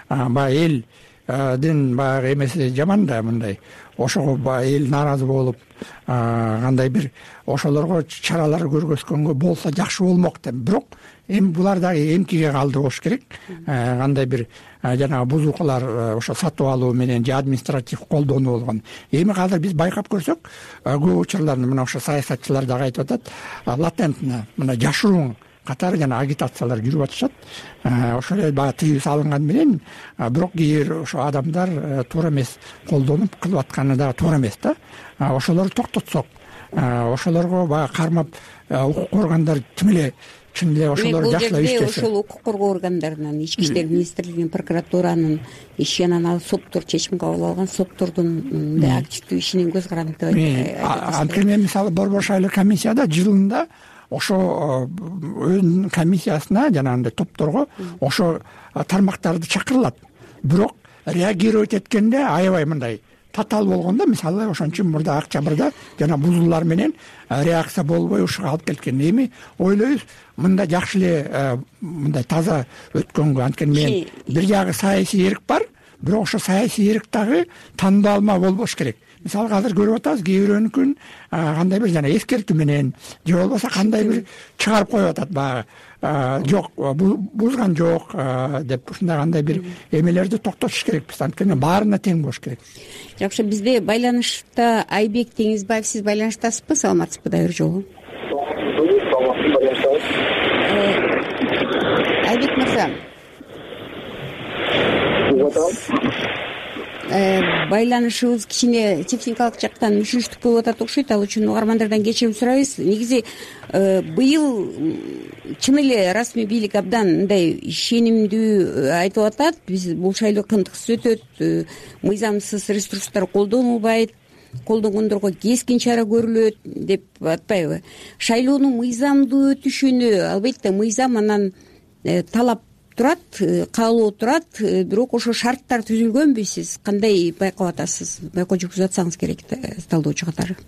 баягы элдин баягы эмеси жаман да, мындай ошого эл нааразы болуп, кандай бир ошолорго чаралар көргөзгөнгө болсо жакшы болмок деп. Бирок эми булар дагы эмкиге калдырбош керек. Кандай бир жанагы бузуукалар ошо сатып алуу менен же административ колдонуу болгон. Эми азыр биз байкап көрсөк, көп учурларда мына ошо саясатчылар дагы айтып атат, латентно мына жашыруун катары жана агитациялар жүрүп атышат. Ошол эле баягы тыюу салынган менен, бирок кээ бир ошо адамдар туура эмес колдонуп кылып атканы дагы туура эмес да. Ошолорду токтотсок, ошолорго баягы кармап укук органдар чын эле ошолор жакшылап иштесе. Ошол укук коргоо органдарынан, ички иштер министрлигинин, прокуратуранын иши, анан ал соттор чечим кабыл алган соттордун активдүү ишинин көз каранды деп айтасыз. Анткени мисалы борбор шайлоо комиссияда жылында ошо өзүнүн комиссиясына жанагындай топторго ошо тармактарды чакырылат. Бирок реагировать эткенде аябай мындай татаал болгон да. Мисалы, ошон үчүн мурда Октябрда жана бузуулар менен реакция болбой ушуга алып келген. Эми ойлойбуз, мында жакшы эле мындай таза өткөнгө. Анткени мен бир жагы саясий эрк бар, бирок ошо саясий эрк дагы тандалма болбош керек. мисалы азыр көрүп атабыз кээ бирөөнүкүн кандай бир жана эскертүү менен же болбосо кандай бир чыгарып коюп атат баягы жок бузган жок деп ушундай кандай бир эмелерди токтотуш керекпиз, анткени баарына тең болуш керек. Жакшы, бизде байланышта Айбек Теңизбаев, сиз байланыштасызбы, саламатсызбы дагы бир жолу? Айбек мырза, байланышыбыз кичине техникалык жактан мүшүрүштүк болуп атат окшойт, ал үчүн угармандардан кечирим сурайбыз. Негизи быйыл чын эле расмий бийлик абдан мындай ишенимдүү айтып атат, биз бул шайлоо кантыксыз өтөт, мыйзамсыз ресурстар колдонулбайт, колдонгондорго кескин чара көрүлөт деп атпайбы? Шайлоонун мыйзамдуу өтүшүнө албетте мыйзам анан талап турат, каалоо турат, бирок ошо шарттар түзүлгөнбү, сиз кандай байкап атасыз? Байкоо жүргүзүп атсаңыз керек, талдоочу катары.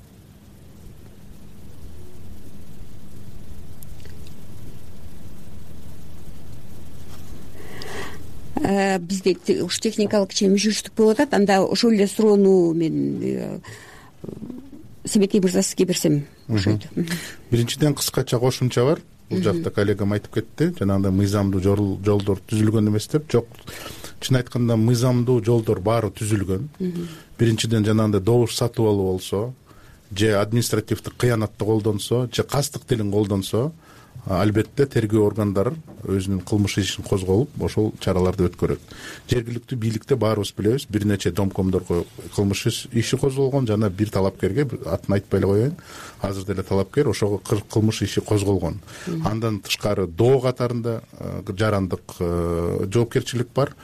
Бизде уш техникалык кичине мүшүрүштүк болуп атат, анда ошол эле суроону мен Себетей мырза сизге берсем окшойт. Биринчиден кыскача кошумча бар. Бул жакта коллегам айтып кетти, жанагындай мыйзамдуу жолдор түзүлгөн эмес деп. Жок, чын айтканда мыйзамдуу жолдор баары түзүлгөн. Биринчиден жанагындай добуш сатып алуу болсо, же административдик кыянатты колдонсо, же кастык тилин колдонсо, албетте тергөө органдары өзүнүн кылмыш ишин козголуп, ошол чараларды өткөрөт. Жергиликтүү бийликте баарыбыз билебиз, бир нече домкомдорго кылмыш иши козголгон, жана бир талапкерге, атын айтпай эле коеюн, азыр деле талапкер ошого кылмыш иши козголгон. Андан тышкары доо катарында жарандык жоопкерчилик бар.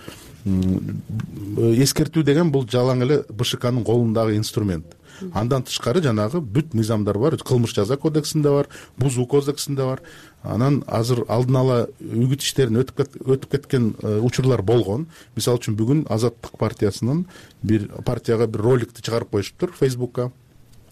Эскертүү деген бул жалаң эле БШКнын колундагы инструмент. Андан тышкары жанагы бүт мыйзамдар бар, кылмыш жаза кодексинде бар, бузуу кодексинде бар. Анан азыр алдын ала үгүт иштерин өтүп кеткен учурлар болгон. Мисалы үчүн бүгүн Азаттык партиясынын бир партияга бир роликти чыгарып коюшуптур Facebook'ка.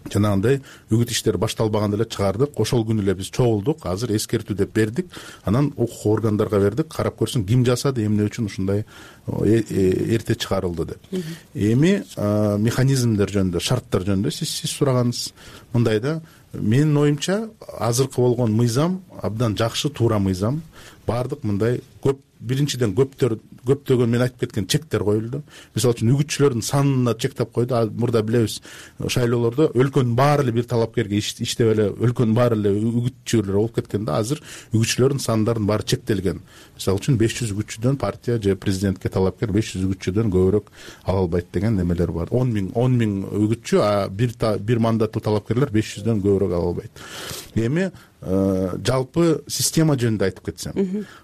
Жанагындай үгүт иштери башталбаганда эле чыгардык. Ошол күнү эле биз чогулдук, азыр эскертүү деп бердик. Анан укук органдарга бердик, карап көрсүн ким жасады, эмне үчүн ушундай эрте чыгарылды деп. Эми механизмдер жөнүндө, шарттар жөнүндө сиз сураганыңыз мындай да, менин оюмча азыркы болгон мыйзам абдан жакшы, туура мыйзам. Баардык мындай биринчиден көптөгөн мен айтып кеткен чектер коюлду. Мисалы үчүн үгүтчүлөрдүн санына чектеп койду. Мурда билебиз, шайлоолордо өлкөнүн баары эле бир талапкерге иштеп эле өлкөнүн баары эле үгүтчүлөр болуп кеткен да. Азыр үгүтчүлөрдүн сандардын баары чектелген. Мисалы үчүн 500 үгүтчүдөн партия же президентке талапкер 500 үгүтчүдөн көбүрөөк ала албайт деген немелер бар. 10 миң үгүтчү, а бир мандаттуу талапкерлер 500дөн көбүрөөк ала албайт. Эми жалпы система жөнүндө айтып кетсем,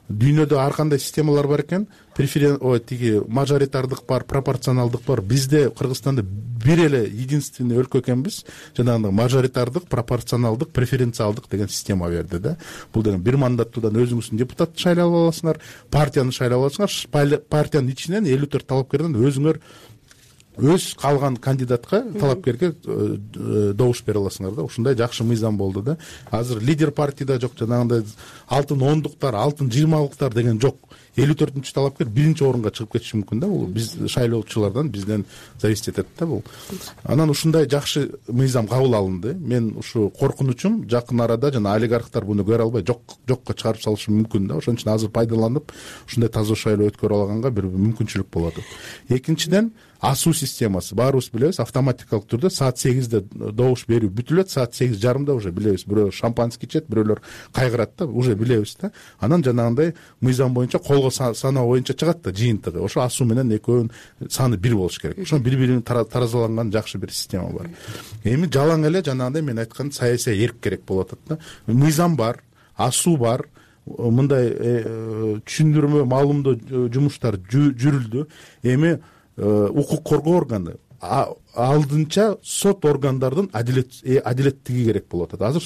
дүйнөдө ар кандай системалар бар экен. Тиги мажоритардык бар, пропорционалдык бар. Бизде Кыргызстанда бир эле единственный өлкө экенбиз. Жанагындай мажоритардык, пропорционалдык, преференциалдык деген система берди да. Бул деген бир мандаттуудан өзүңүздүн депутатты шайлап аласыңар, партияны шайлап аласыңар, партиянын ичинен 54 талапкерден өзүңөр өз калган кандидатка, талапкерге добуш бере аласыңар да. Ушундай жакшы мыйзам болду да. Азыр лидер партияда жок, жанагындай алтын 10-дуктар, алтын 20-лыктар деген жок. 54-чү талапкер биринчи орунга чыгып кетиши мүмкүн да. Бул биз шайлоочулардан, бизден зависит этет да бул. Анан ушундай жакшы мыйзам кабыл алынды. Мен ушу коркунучум жакын арада жана олигархтар буну көрө албай жокко чыгарып салышы мүмкүн да. Ошон үчүн азыр пайдаланып ушундай таза шайлоо өткөрө алганга бир мүмкүнчүлүк болот. Экинчиден, асуу системасы. Баарыбыз билебиз, автоматикалык түрдө саат 8-де добуш берүү бүтүлөт, саат 8:30 уже билебиз. Бирөө шампанский ичет, бирөөлөр кайгырат да, уже билебиз да. Анан жанагындай мыйзам боюнча колго саноо боюнча чыгат да жыйынтыгы. Ошо асуу менен экөөнүн саны бир болуш керек. Ошо бири-бирин таразаланган жакшы бир система бар. Эми жалаң эле жанагындай мен айткан саясий эрк керек болуп атат да. Мыйзам бар, асуу бар. Мындай түшүндүрмө, маалымдоо жумуштар жүрүлдү. Эми укук коргоо органы алдынча сот органдардын адилеттиги керек болуп атат. Азыр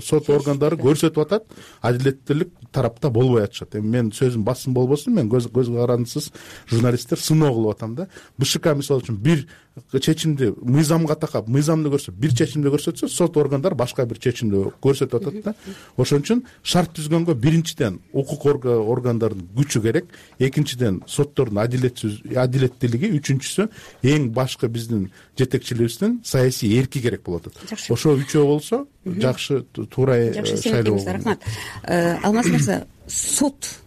сот органдары көрсөтүп атат, адилеттүүлүк тарапта болбой атышат. Эми мен сөзүм басым болбосун, мен көз карандысыз журналисттер сыноо кылып атам да. БШК мисалы үчүн бир чечимди мыйзамга такап, мыйзамды көрсөтүп, бир чечимди көрсөтсө, сот органдар башка бир чечимди көрсөтүп атат да. Ошон үчүн шарт түзгөнгө биринчиден укук органдардын күчү керек, экинчиден соттордун адилеттүүлүги, үчүнчүсү эң башкы биздин жетекчилибиздин саясий эрки керек болот. Ошо үчөө болсо жакшы, туура шайлоо. Рахмат. Алмаз мырза, сот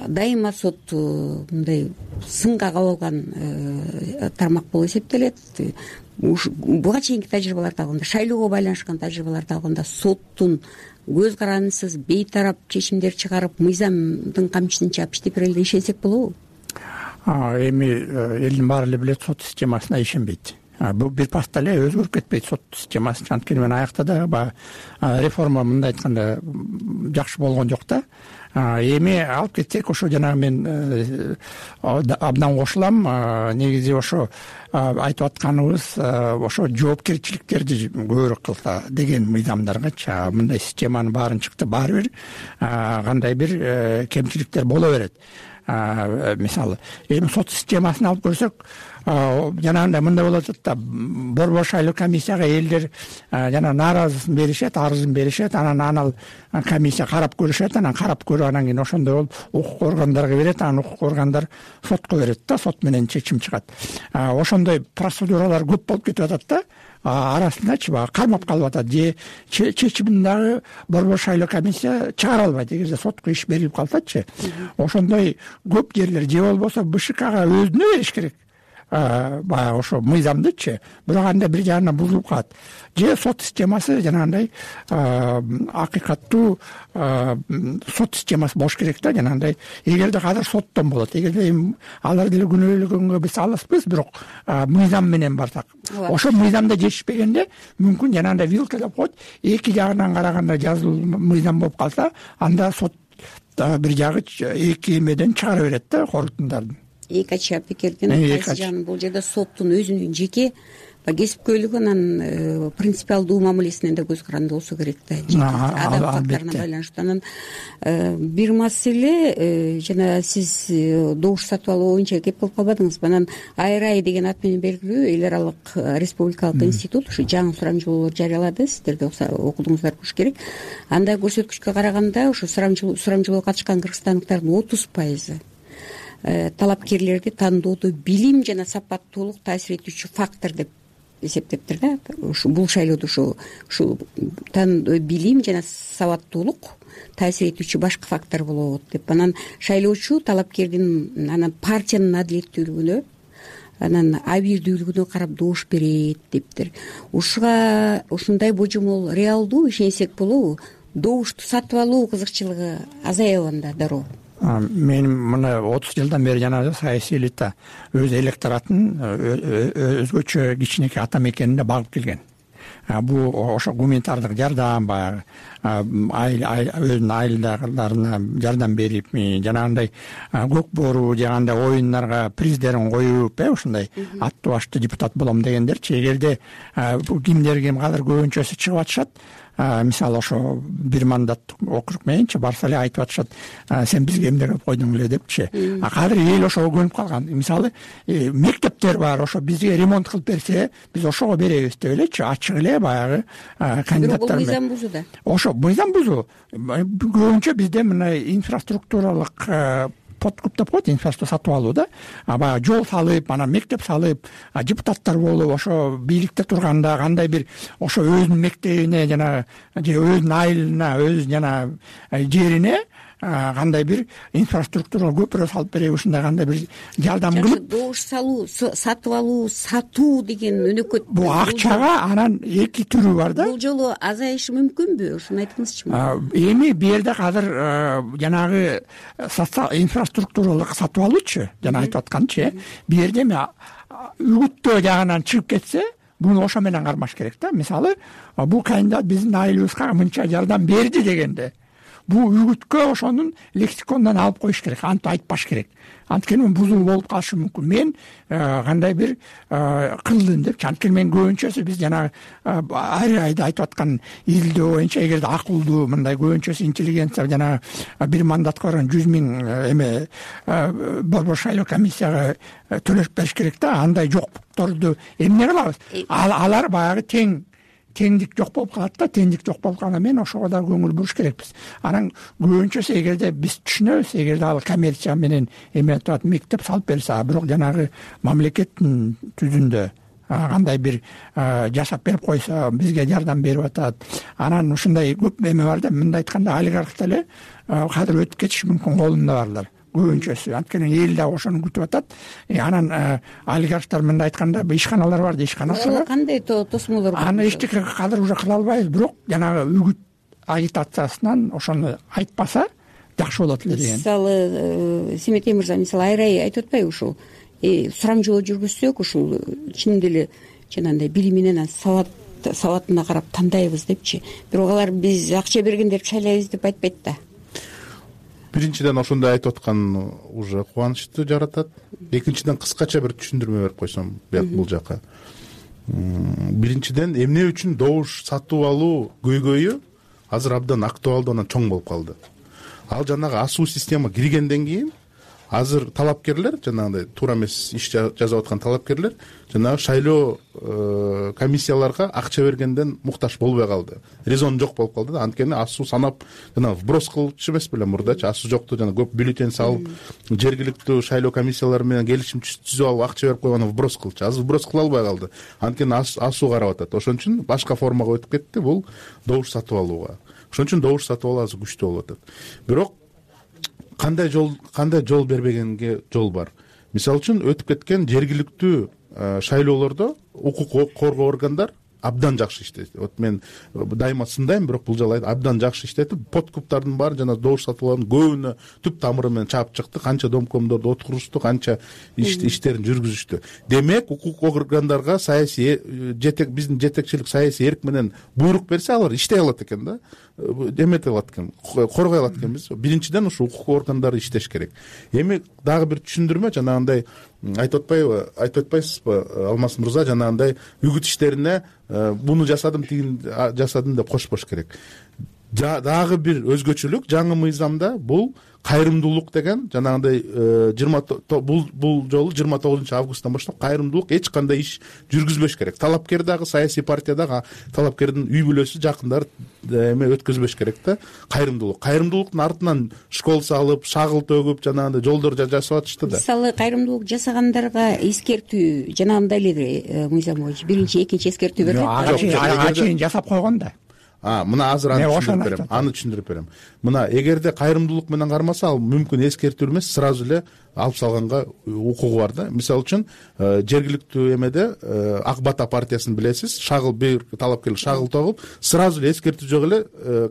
дайыма сот мындай сынга кабылган тармак болуп эсептелет. Буга чейинки тажрыйбаларды алганда, шайлоого байланышкан тажрыйбаларды алганда соттун көз карандысыз бейтарап чечимдер чыгарып, мыйзамдын камчысын чаап иштеп берели деп ишенсек болобу? Эми элдин баары эле билет, сот системасына ишенбейт. Бул бир паста эле өзгөрүп кетпейт сот системасы. Анткени мен аякта да реформа мындай айтканда жакшы болгон жок да. Эми алып кетсек, ошо жанагы мен абдан кошулам. Негизи ошо айтып атканыбыз ошо жоопкерчиликтерди көбүрөөк кылса деген мыйзамдаргачы. Мындай системанын баарын чыкты, баары бир кандай бир кемчиликтер боло берет. Мисалы, эми сот системасын алып көрсөк, жанагындай мындай болуп атат да, борбор шайлоо комиссияга элдер жана нааразысын беришет, арызын беришет, анан комиссия карап көрүшөт, анан карап көрүп, анан кийин ошондой болуп укук органдарга берет, анан укук органдар сотко берет да, сот менен чечим чыгат. Ошондой процедуралар көп болуп кетип атат да. Арасындачы кармап калып атат, же чечимин дагы борбор шайлоо комиссия чыгара албайт, эгерде сотко иш берилип калсачы. Ошондой көп жерлер же болбосо БШКга өзүнө бериш керек. Баягы ошо мыйзамдычы, бирок анда бир жагынан бузулуп калат. Же сот системасы жанагындай акыйкаттуу сот системасы болуш керек да, жанагындай. Эгерде азыр соттон болот, эгерде алар деле күнөөлөгөнгө биз алыспыз, бирок мыйзам менен барсак, ошо мыйзамда жетишпегенде мүмкүн жанагындай вилка деп коет, эки жагынан караганда жазылуу мыйзам болуп калса, анда сот бир жагы эки эмеден чыгара берет да, корутундардын. Эки ача пикирдин кайсы жагын, бул жерде соттун өзүнүн жеке кесипкөйлүгү, анан принципиалдуу мамилесинен да көз каранды болсо керек да, адам факторуна байланыштуу. Анан бир маселе, жана сиз добуш сатып алуу боюнча кеп кылып калбадыңыз. Анан АРАИ деген ат менен белгилүү эл аралык республикалык институт ушу жаңы сурамжылоолор жарыялады, сиздер да окудуңуздар болуш керек. Анда көрсөткүчкө караганда ушу сурамжылоого катышкан кыргызстандыктардын 30% талапкерлерди тандоодо билим жана сапаттуулук таасир этүүчү фактор деп эсептептир да. Бул шайлоодо ушу билим жана сабаттуулук таасир этүүчү башкы фактор болот деп. Анан шайлоочу талапкердин анан партиянын адилеттүүлүгүнө, анан абийирдүүлүгүнө карап добуш берет дептир. Ушундай божомол реалдуу, ишенсек болобу? Добушту сатып алуу кызыкчылыгы азаябы анда дароо? Мен мына 30 жылдан бери жанагы саясий элита өз электоратын өзгөчө кичинекей ата мекенине багып келген. Бул ошо гуманитардык жардам, баягы өзүнүн айылдагыларына жардам берип, жанагындай көк боору жагандай оюндарга приздерин коюп, ушундай аттуу баштуу депутат болом дегендерчи. Эгерде кимдер ким азыр көбүнчөсү чыгып атышат, мисалы ошо бир мандаттык округ мененчи барса эле айтып атышат, сен бизге эмне кылып койдуң эле депчи. Азыр эл ошого көнүп калган. Мисалы мектептер бар, ошо бизге ремонт кылып берсе, биз ошого беребиз деп элечи, ачык эле баягы кандидаттар менен. Мыйзам бузуу да. Ошо мыйзам бузуу. Көбүнчө бизде мына инфраструктуралык подкуп деп коет, инфраструктура сатып алуу да. Баягы жол салып, анан мектеп салып, депутаттар болуп, ошо бийликте турганда кандай бир ошо өзүнүн мектебине жана же өзүнүн айылына, өз жана жерине кандай бир инфраструктура көпүрө салып береби, ушундай кандай бир жардам кылып. Добуш салуу, сатып алуу, сатуу деген өнөкөт. Бул акчага анан эки түрү бар да. Бул жолу азайышы мүмкүнбү? Ошону айтыңызчы. Эми бу жерде азыр жанагы инфраструктуралык сатып алуучу, жана айтып атканчы, бу жерде үгүттөө жагынан чыгып кетсе, буну ошо менен кармаш керек да. Мисалы, бул кандидат биздин айылыбызга мынча жардам берди дегенде, бул үгүткө ошонун лексиконунан алып коюш керек, антип айтпаш керек. Анткени бузуу болуп калышы мүмкүн. Мен кандай бир кылдым депчи. Анткени мен көбүнчөсү биз жана ар айда айтып аткан изилдөө боюнча, эгерде акылдуу мындай көбүнчөсү интеллигенция жана бир мандатка барган 100 000 эме борбор шайлоо комиссияга төлөп бериш керек да. Андай жокторду эмне кылабыз? Алар баягы теңдик жок болуп калат да. Теңдик жок болуп калганда мен ошого да көңүл буруш керекпиз. Анан көбүнчөсү эгерде биз түшүнөбүз, эгерде ал коммерция менен эме турат мектеп салып берсе, бирок жанагы мамлекеттин түзүндө кандай бир жасап берип койсо бизге жардам берип атат. Анан ушундай көп эме бар да, мындай айтканда олигарх деле кадыр өтүп кетиши мүмкүн, колунда барлар көбүнчөсү. Анткени эл дагы ошону күтүп атат. Анан олигархтар мындай айтканда ишканалар бар да, ишканасы кандай тосмолор бар? Аны эчтеке кадыр уже кыла албайбыз, бирок жанагы үгүт агитациясынан ошону айтпаса жакшы болот эле деген. Мисалы Семетей мырза, мисалы Айрай айтып атпайбы ушул сурамжылоо жүргүзсөк ушул чын деле жанагындай билими менен сабатына карап тандайбыз депчи. Бирок алар биз акча бергендерди шайлайбыз деп айтпайт да. Биринчиден ошондой айтып аткан уже кубанычты жаратат. Экинчиден кыскача бир түшүндүрмө берип койсом бул жака. Биринчиден эмне үчүн добуш сатып алуу көйгөйү азыр абдан актуалдуу, анан чоң болуп калды. Ал жанагы асуу система киргенден кийин азыр талапкерлер, жанагындай туура эмес иш жасап аткан талапкерлер жанагы шайлоо комиссияларга акча бергенден муктаж болбой калды. Резон жок болуп калды да. Анткени асуу санап жана вброс кылчу эмес беле мурдачы, асуу жокту жана көп бюллетень салып, жергиликтүү шайлоо комиссиялары менен келишим түзүп алып акча берип койгону вброс кылчу. Азыр вброс кыла албай калды. Анткени асуу карап атат. Ошон үчүн башка формага өтүп кетти бул добуш сатып алууга. Ошон үчүн добуш сатып алуу азыр күчтүү болуп атат. Бирок кандай жол бербегенге жол бар. Мисалы үчүн өтүп кеткен жергиликтүү шайлоолордо укук коргоо органдар абдан жакшы иштейт. Вот мен дайыма сындайм, бирок бул жолу абдан жакшы иштетип, подкуптардын баары жана добуш сатуулардын көбүнө түп тамыры менен чаап чыкты. Канча домкомдорду отурушту, канча иштерин жүргүзүштү. Демек, укук органдарга саясий биздин жетекчилик саясий эрк менен буйрук берсе, алар иштей алат экен да. Эмете алат экен, коргой алат экенбиз. Биринчиден ушу укук органдары иштеш керек. Эми дагы бир түшүндүрмө, жанагындай айтып атпайсызбы, Алмаз мырза, жанагындай үгүт иштерине буну жасадым, тигин жасадым деп кошпош керек. Дагы бир өзгөчөлүк жаңы мыйзамда бул кайрымдуулук деген жанагындай бул жолу 29 августтан баштап кайрымдуулук эч кандай иш жүргүзбөш керек. Талапкер дагы, саясий партия дагы талапкердин үй бүлөсү, жакындары эме өткөзбөш керек да. Кайрымдуулуктун артынан школ салып, шагыл төгүп, жанагындай жолдор жасап атышты да. Мисалы кайрымдуулук жасагандарга эскертүү жанагындай эле мыйзам боюнча биринчи, экинчи эскертүү берилет. Ачыйын жасап койгон да. Мына азыр аны түшүндүрүп берем. Мына эгерде кайрымдуулук менен кармаса, ал мүмкүн эскертүү эмес, сразу эле алып салганга укугу бар да. Мисалы үчүн жергиликтүү эмеде Ак Бата партиясын билесиз, бир талапкер шагыл тогуп, сразу эле эскертүү жок эле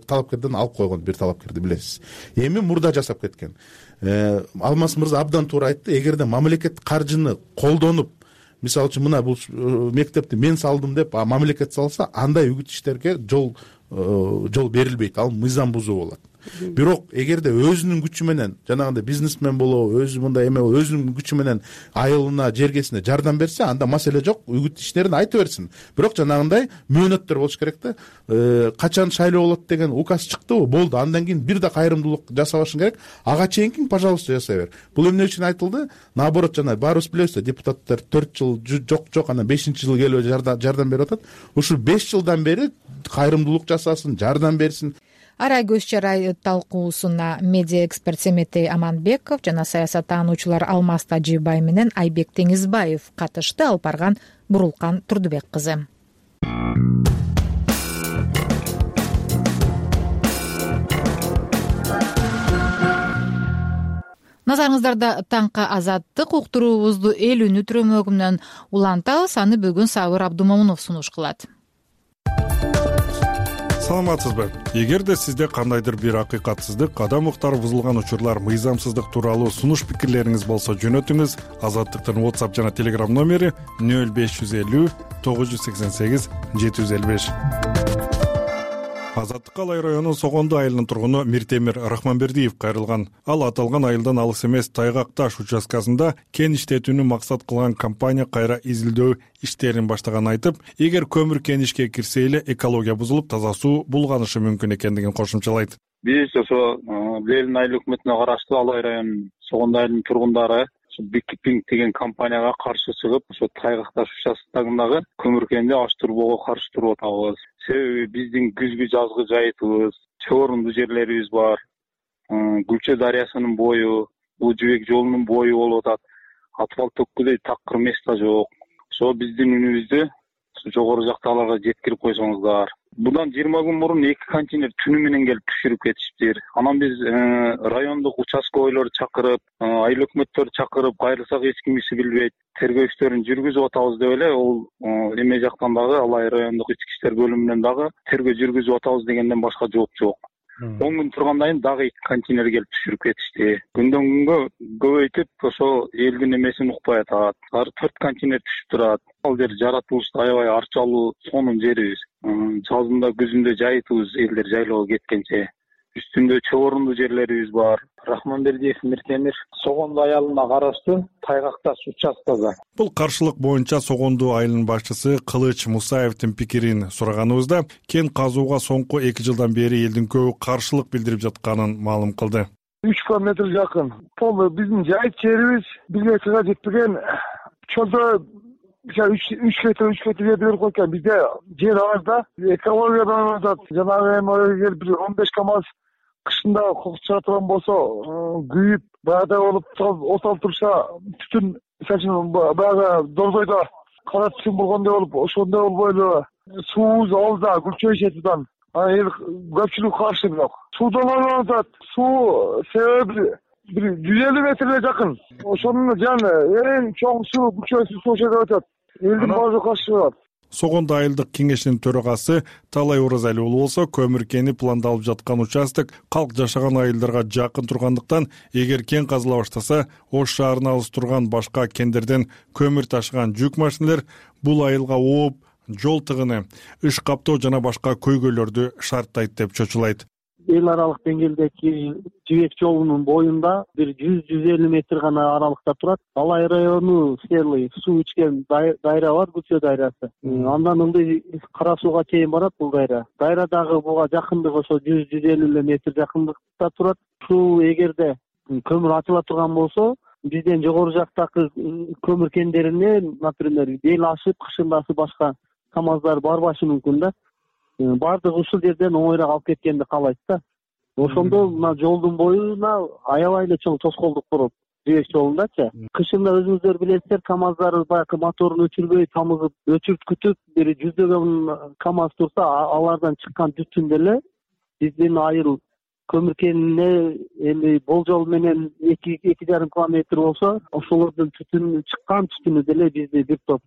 талапкерден алып койгон бир талапкерди билесиз. Эми мурда жасап кеткен. Алмаз мырза абдан туура айтты. Эгерде мамлекет каржыны колдонуп, мисалы үчүн мына бул мектепти мен салдым деп мамлекет салса, андай үгүт иштерге жол берилбейт. Ал мыйзам бузуу болот. Бирок эгерде өзүнүн күчү менен, жанагындай бизнесмен болобу, өзү мындай эме өзүнүн күчү менен айылына, жергесине жардам берсе, анда маселе жок, үгүт иштерин айта берсин. Бирок жанагындай мөөнөттөр болуш керек да. Качан шайлоо болот деген указ чыктыбы, болду. Андан кийин бир да кайрымдуулук жасабашың керек. Ага чейинки, пожалуйста, жасай бер. Бул эмне үчүн айтылды? Наоборот, жана баарыбыз билебиз да, депутаттар 4 жыл жок, анан 5-жыл келип жардам берип атат. Ушу 5 жылдан бери кайрымдуулук жасасын, жардам берсин. Арай көз чарай талкуусуна медиа эксперт Семетей Аманбеков жана саясаттануучулар Алмаз Тажибай менен Айбек Теңизбаев катышты. Алып барган Бурулкан Турдубек кызы. Назарыңыздарда таңкы азаттык уктуруубузду эл үнү түрөмөгүнөн улантабыз. Аны бүгүн Сабыр Абдумомунов сунуш кылат. Саламатсызбы? Эгерде сизде кандайдыр бир акыйкатсыздык, адам укуктары бузулган учурлар, мыйзамсыздык тууралуу сунуш пикирлериңиз болсо жөнөтүңүз. Азаттыктын WhatsApp жана Telegram номери 0550 988 755. Азаттыкка Алай районунун Согондо айылынын тургуну Миртемир Рахманбердиев кайрылган. Ал аталган айылдан алыс эмес Тайгак-Таш участкасында кен иштетүүнү максат кылган компания кайра изилдөө иштерин баштаганын айтып, эгер көмүр кен ишке кирсе эле экология бузулуп, таза суу булганышы мүмкүн экендигин кошумчалайт. Биз ошо Лелин айыл өкмөтүнө караштуу Алай районунун Согондо айылынын тургундары Бикпинг деген компанияга каршы чыгып, ошо Тайгак-Таш участкасындагы көмүр кенди аштырбоого каршы туруп атабыз. Себеби биздин күзгү жазгы жайытыбыз, чогорунду жерлерибиз бар. Гүлчө дарыясынын бою, бул жибек жолунун бою болуп атат. Асфальт төккүдөй такыр место жок. ошо биздин үнүбүздү жогору жактагыларга жеткирип койсоңуздар. Bundan 20 gün murun 2 kontener tünü менен келип түшүрүп кетишиптир. Анан биз райондук участковойлорду чакырып, айыл өкмөттөрдү чакырып, кайрылсак эч кимиси билбейт, тергөө иштерин жүргүзүп атабыз деп эле ол эме жактан дагы Алай райондук ички иштер бөлүмүнөн дагы тергөө жүргүзүп атабыз дегенден башка жооп жок. 10 күн тургандан кийин дагы 2 контейнер келип түшүрүп кетишти. Күндөн күнгө көбөйтүп ошо элдин эмесин укпай атат. Ар 4 контейнер түшүп турат. Ал жер жаратылышта аябай арчалуу сонун жерибиз. Жазында күзүндө жайытыбыз элдер жайлоого кеткенче. Үстүндө чогорундуу жерлерибиз бар. Рахманбердиев Миртемир Согондуу айылына караштуу Тайгакташ участкасы. Бул каршылык боюнча Согондуу айылынын башчысы Кылыч Мусаевдин пикирин сураганыбызда кен казууга соңку 2 жылдан бери элдин көбү каршылык билдирип жатканын маалым кылды. 3 километр жакын. Бул биздин жайыт жерибиз бизге чыга жетпеген. Чолдо 3 метр жерди берип койгон. Бизде жер азда экологиядан атат. Жанагы эме бир 15 КАМАЗ кышында чыга турган болсо, күйүп, баягыдай болуп оталып турса, түтүн баягы дордойдо кара түтүн болгондой болуп, ошондой болбой эле суубуз алда Гүлчөй четидан. Эл көпчүлүк каршы бирок. Суудан атат. Суу себеби бир 150 метрге жакын. Ошонун жаны эң чоң суу Гүлчөй суу жерде өтөт. Элдин баары каршы болот. Согондуу айылдык кеңешинин төрагасы Талай Оразали уулу болсо, көмүр кени пландалып жаткан участок калк жашаган айылдарга жакын тургандыктан, эгер кен казыла баштаса, Ош шаарына алыс турган башка кендерден көмүр ташыган жүк машиналар бул айылга ооп, жол тыгыны, иш каптоо жана башка көйгөйлөрдү шарттайт деп чочулайт. Эл аралык деңгээлдеги жибек жолунун боюнда бир 100-150 метр гана аралыкта турат. Алай району селый суу ичкен дайра бар, Гүлчөй дайрасы. Андан ылдый Кара сууга чейин барат бул дайра. Дайрадагы буга жакындыгы ошо 100-150 метр жакындыкта турат. Суу эгерде көмүр ачыла турган болсо, бизден жогору жактагы көмүр кендерине, например, бел ашып, кышындасы башка КАМАЗдар барбашы мүмкүн да. Бардыгы ушул жерден оңойраак алып кеткенди каалайт да. Ошондо мына жолдун боюна аябай эле чоң тоскоолдук болот. Жибек жолундачы. Кышында өзүңүздөр билесиздер, КАМАЗдар баягы моторун өчүрбөй, тамызып, өчүрткүтүп, бир жүздөгөн КАМАЗ турса, алардан чыккан түтүн деле биздин айыл көмүр кенине эми болжол менен 2,5 километр болсо, ошолордун түтүнү чыккан түтүнү деле бизди бир топ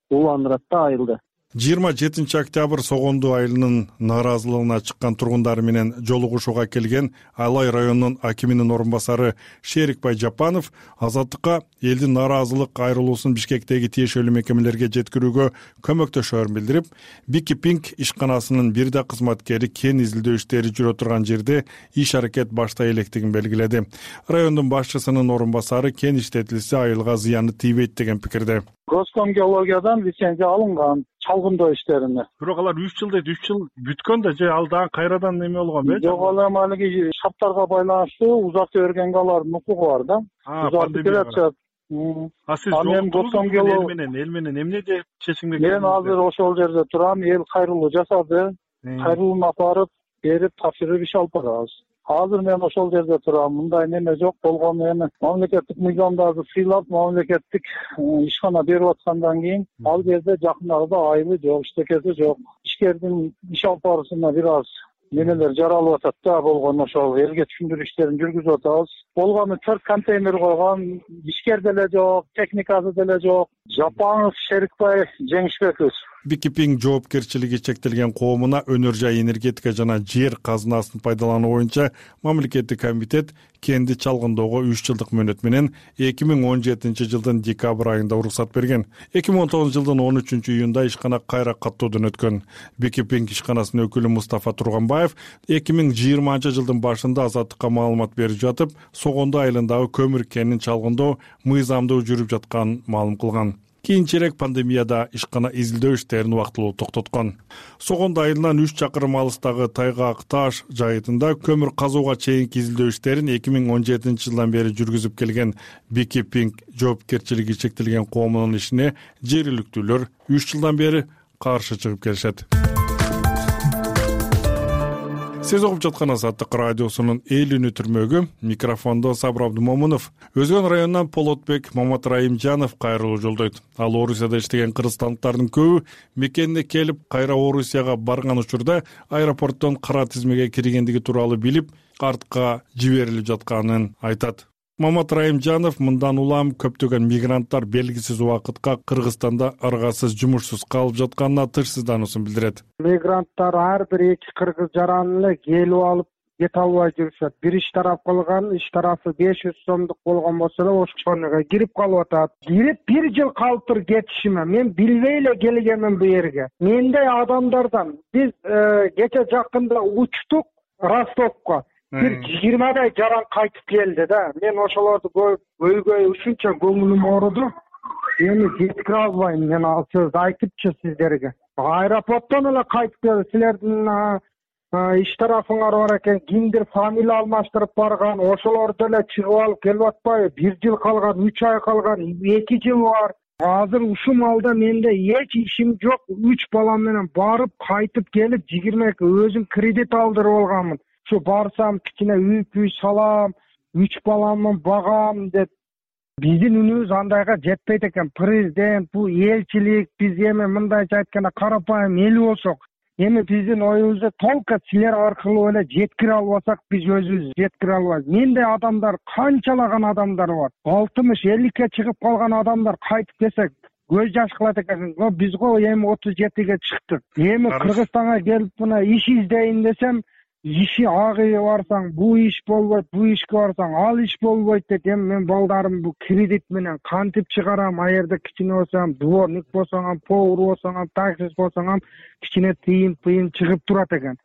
уландырат да айылда. 27 октябрь Согондуу айылынын нааразылыгына чыккан тургундар менен жолугушууга келген Алай районунун акиминин орун басары Шерикбай Жапанов азаттыкка элдин нааразылык айрылуусун Бишкектеги тиешелүү мекемелерге жеткирүүгө көмөктөшөөрүн билдирип, Бикипинг ишканасынын бир да кызматкери кен изилдөө иштери жүрө турган жерде иш аракет баштай электигин белгиледи. Райондун башчысынын орун басары кен иштетилсе айылга зыяны тийбейт деген пикирде. Госкомгеологиядан лицензия алынган чалгындоо иштерине. Бирок алар 3 жыл дейт, 3 жыл бүткөн да, же ал дагы кайрадан неме болгон бе? Жок, ал малыгы шарттарга байланыштуу узартып бергенге алардын укугу бар да. Узартып келатат. Сиз эл менен эмне деп чечимге келдиңиз? Мен азыр ошол жерде турам, эл кайрылуу жасады. Кайрылууну апарып, берип, тапшырып иш алып барабыз. Азыр мен ошол жерде турам. Мындай неме жок болгон, эми мамлекеттик мыйзамдарды сыйлап, мамлекеттик ишкана берип аткандан кийин ал жерде жакындагыда айылы жок, иштекеси жок. Ишкердин иш алып баруусуна бир аз немелер жаралып атат да, болгон ошол элге түшүндүрүү иштерин жүргүзүп атабыз. Болгону 4 контейнер койгон, ишкер деле жок, техникасы деле жок. Жапанов Шерикбай Жеңишбеков. Бикипинг жоопкерчилиги чектелген коомуна өнөр жай энергетика жана жер казынасын пайдалануу боюнча мамлекеттик комитет кенди чалгындоого 3 жылдык мөөнөт менен 2017 жылдын декабрь айында уруксат берген. 2019 жылдын 13 июнда ишкана кайра каттоодон өткөн. Бикипинг ишканасынын өкүлү Мустафа Турганбаев 2020 жылдын башында азаттыкка маалымат берип жатып, Согондуу айылындагы көмүр кенин чалгындоо мыйзамдуу жүрүп жатканын маалым кылган. Кийинчерээк пандемияда ишкана изилдөө иштерин убактылуу токтоткон. Согондуу айылынан 3 чакырым алыстагы Тайгак-Таш жайытында көмүр казууга чейинки изилдөө иштерин 2017 жылдан бери жүргүзүп келген Бикипинг жоопкерчилиги чектелген коомунун ишине жергиликтүүлөр 3 жылдан бери каршы чыгып келишет. Сиз угуп жаткан Азаттык радиосунун эл үнү түрмөгү. Микрофондо Сабыр Абдумомунов. Өзгөн районунан Полотбек Момат Райымжанов кайрылуу жолдойт. Ал Орусияда иштеген кыргызстандыктардын көбү мекенине келип, кайра Орусияга барган учурда аэропорттон кара тизмеге киргендиги тууралуу билип, артка жиберилип жатканын айтат. Момат Райымжанов мындан улам көптөгөн мигранттар белгисиз убакытка Кыргызстанда ыргасыз жумушсуз калып жатканына тынчсыздануусун билдирет. Мигранттар ар бир эки кыргыз жаран эле келип алып кете албай жүрүшөт. Бир иш тарап кылган, иш тарафы 500 сомдук болгон болсо эле ошону кирип калып атат. Кирип 1 жыл калыптыр кетишиме. Мен билбей эле келгенмин бу жерге. Мендей адамдардан биз кече жакында учтук Ростовко. Бир 20дай жаран кайтып келди да. Мен ошолорду көйгөй ушунча көңүлүм ооруду. Эми жеткире албайм мен ал сөздү айтыпчы сиздерге. Аэропорттон эле кайтып келди. Силердин иш тарафыңар бар экен, кимдир фамилия алмаштырып барган, ошолорду эле чыгып алып келип атпайбы? 1 жыл калган, 3 ай калган, 2 жыл бар. Азыр ушул малда менде эч ишим жок. 3 балам менен барып кайтып келип 22 өзүм кредит алдырып алганмын. Şu барсам кичине үй салам, 3 баламды багам деп. Биздин үнүбүз андайга жетпейт экен. Президент, бул элчилик, биз эми мындайча айтканда карапайым эл болсок, эми биздин оюбузду толко силер аркылуу эле жеткире албасак, биз өзүбүз жеткире албайбыз. Мендей адамдар, канчалаган адамдар бар. 60-50ке чыгып калган адамдар кайтып келсек, көз жаш кылат экен. Биз го эми 37ге чыктык. Эми Кыргызстанга келип мына иш издейин десем, иши агыйы барсаң, бул иш болбойт, бул ишке барсаң, ал иш болбойт деп, эми мен балдарым бул кредит менен кантип чыгарам? Аерде кичине болсам, дворник болсоң, повар болсоң, таксист болсоң, кичине тыйын чыгып турат экен.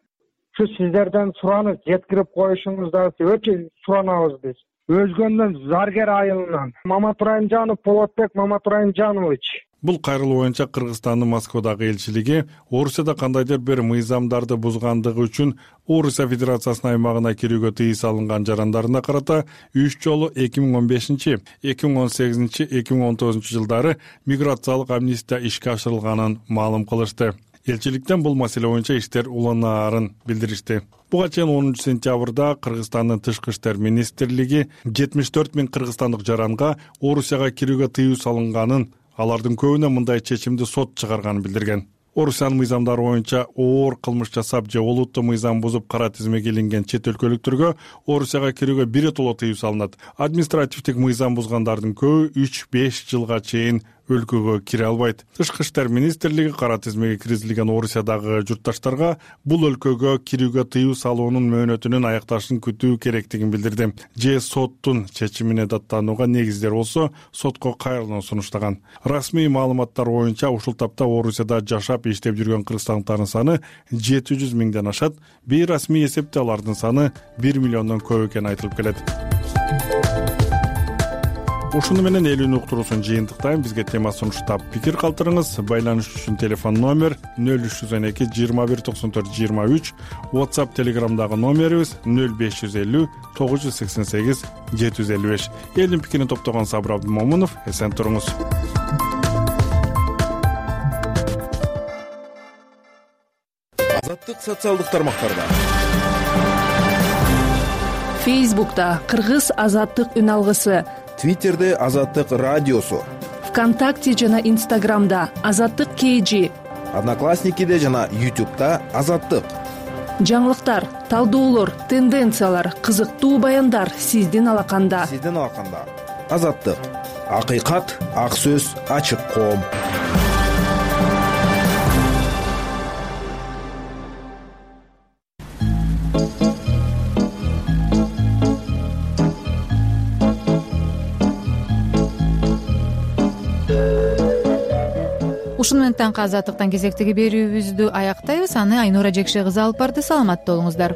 Şu сиздерден суранып жеткирип коюшуңузду өтө суранабыз биз. Өзгөндөн Заргер айылынан Момат Райымжанов, Полотбек Момат Райымжанович. Бул кайрылуу боюнча Кыргызстандын Москвадагы элчилиги Орусияда кандайдыр бир мыйзамдарды бузгандыгы үчүн Орусия Федерациясынын аймагына кирүүгө тыйым салынган жарандарына карата 3 жолу 2015, 2018, 2019 жылдары миграциялык амнистия ишке ашырылганын маалым кылышты. Элчиликтен бул маселе боюнча иштер уланаарын билдиришти. Буга чейин 10 сентябрда Кыргызстандын Тышкы иштер министрлиги 74 000 кыргызстандык жаранга Орусияга кирүүгө тыйым салынганын, алардын көбүнө мындай чечимди сот чыгарганын билдирген. Орусиянын мыйзамдары боюнча оор кылмыш жасап же олуттуу мыйзам бузуп кара тизмеге илинген чет өлкөлүктөргө Орусияга кирүүгө биротоло тыйым салынат. Административдик мыйзам бузгандардын көбү 3-5 жылга чейин өлкөгө кире албайт. Тышкы иштер министрлиги кара тизмеге киргизилген Орусиядагы журтташтарга бул өлкөгө кирүүгө тыйым салуунун мөөнөтүнүн аякташын күтүү керектигин билдирди. Же соттун чечимине даттанууга негиздер болсо, сотко кайрылууну сунуштаган. Расмий маалыматтар боюнча ушул тапта Орусияда жашап иштеп жүргөн кыргызстандыктардын саны 700 000ден ашат. Бейрасмий эсепте алардын саны 1 миллиондон көп экени айтылып келет. Ушуну менен эл үнү уктуруусун жыйынтыктайм. Бизге тема сунуштап пикир калтырыңыз. Байланыш үчүн телефон номер 0312 21 94 23, WhatsApp Telegramдагы номерибиз 0550 988 755. Элдин пикирин топтогон Сабыр Абдумомунов, эсен туруңуз. Азаттык социалдык тармактарда. Фейсбукта Кыргыз азаттык үн алгысы, Твиттерде Азаттык радиосу, ВКонтакте жана Инстаграмда Азаттык KG, Одноклассникиде жана YouTube'да Азаттык. Жаңылыктар, талдоолор, тенденциялар, кызыктуу баяндар сиздин алаканда. Азаттык. Акыйкат, ак сөз, ачык коом. Ушуну менен таңкы азаттыктан кезектеги берүүбүздү аяктайбыз. Аны Айнура Жекше кызы алып барды. Саламатта болуңуздар.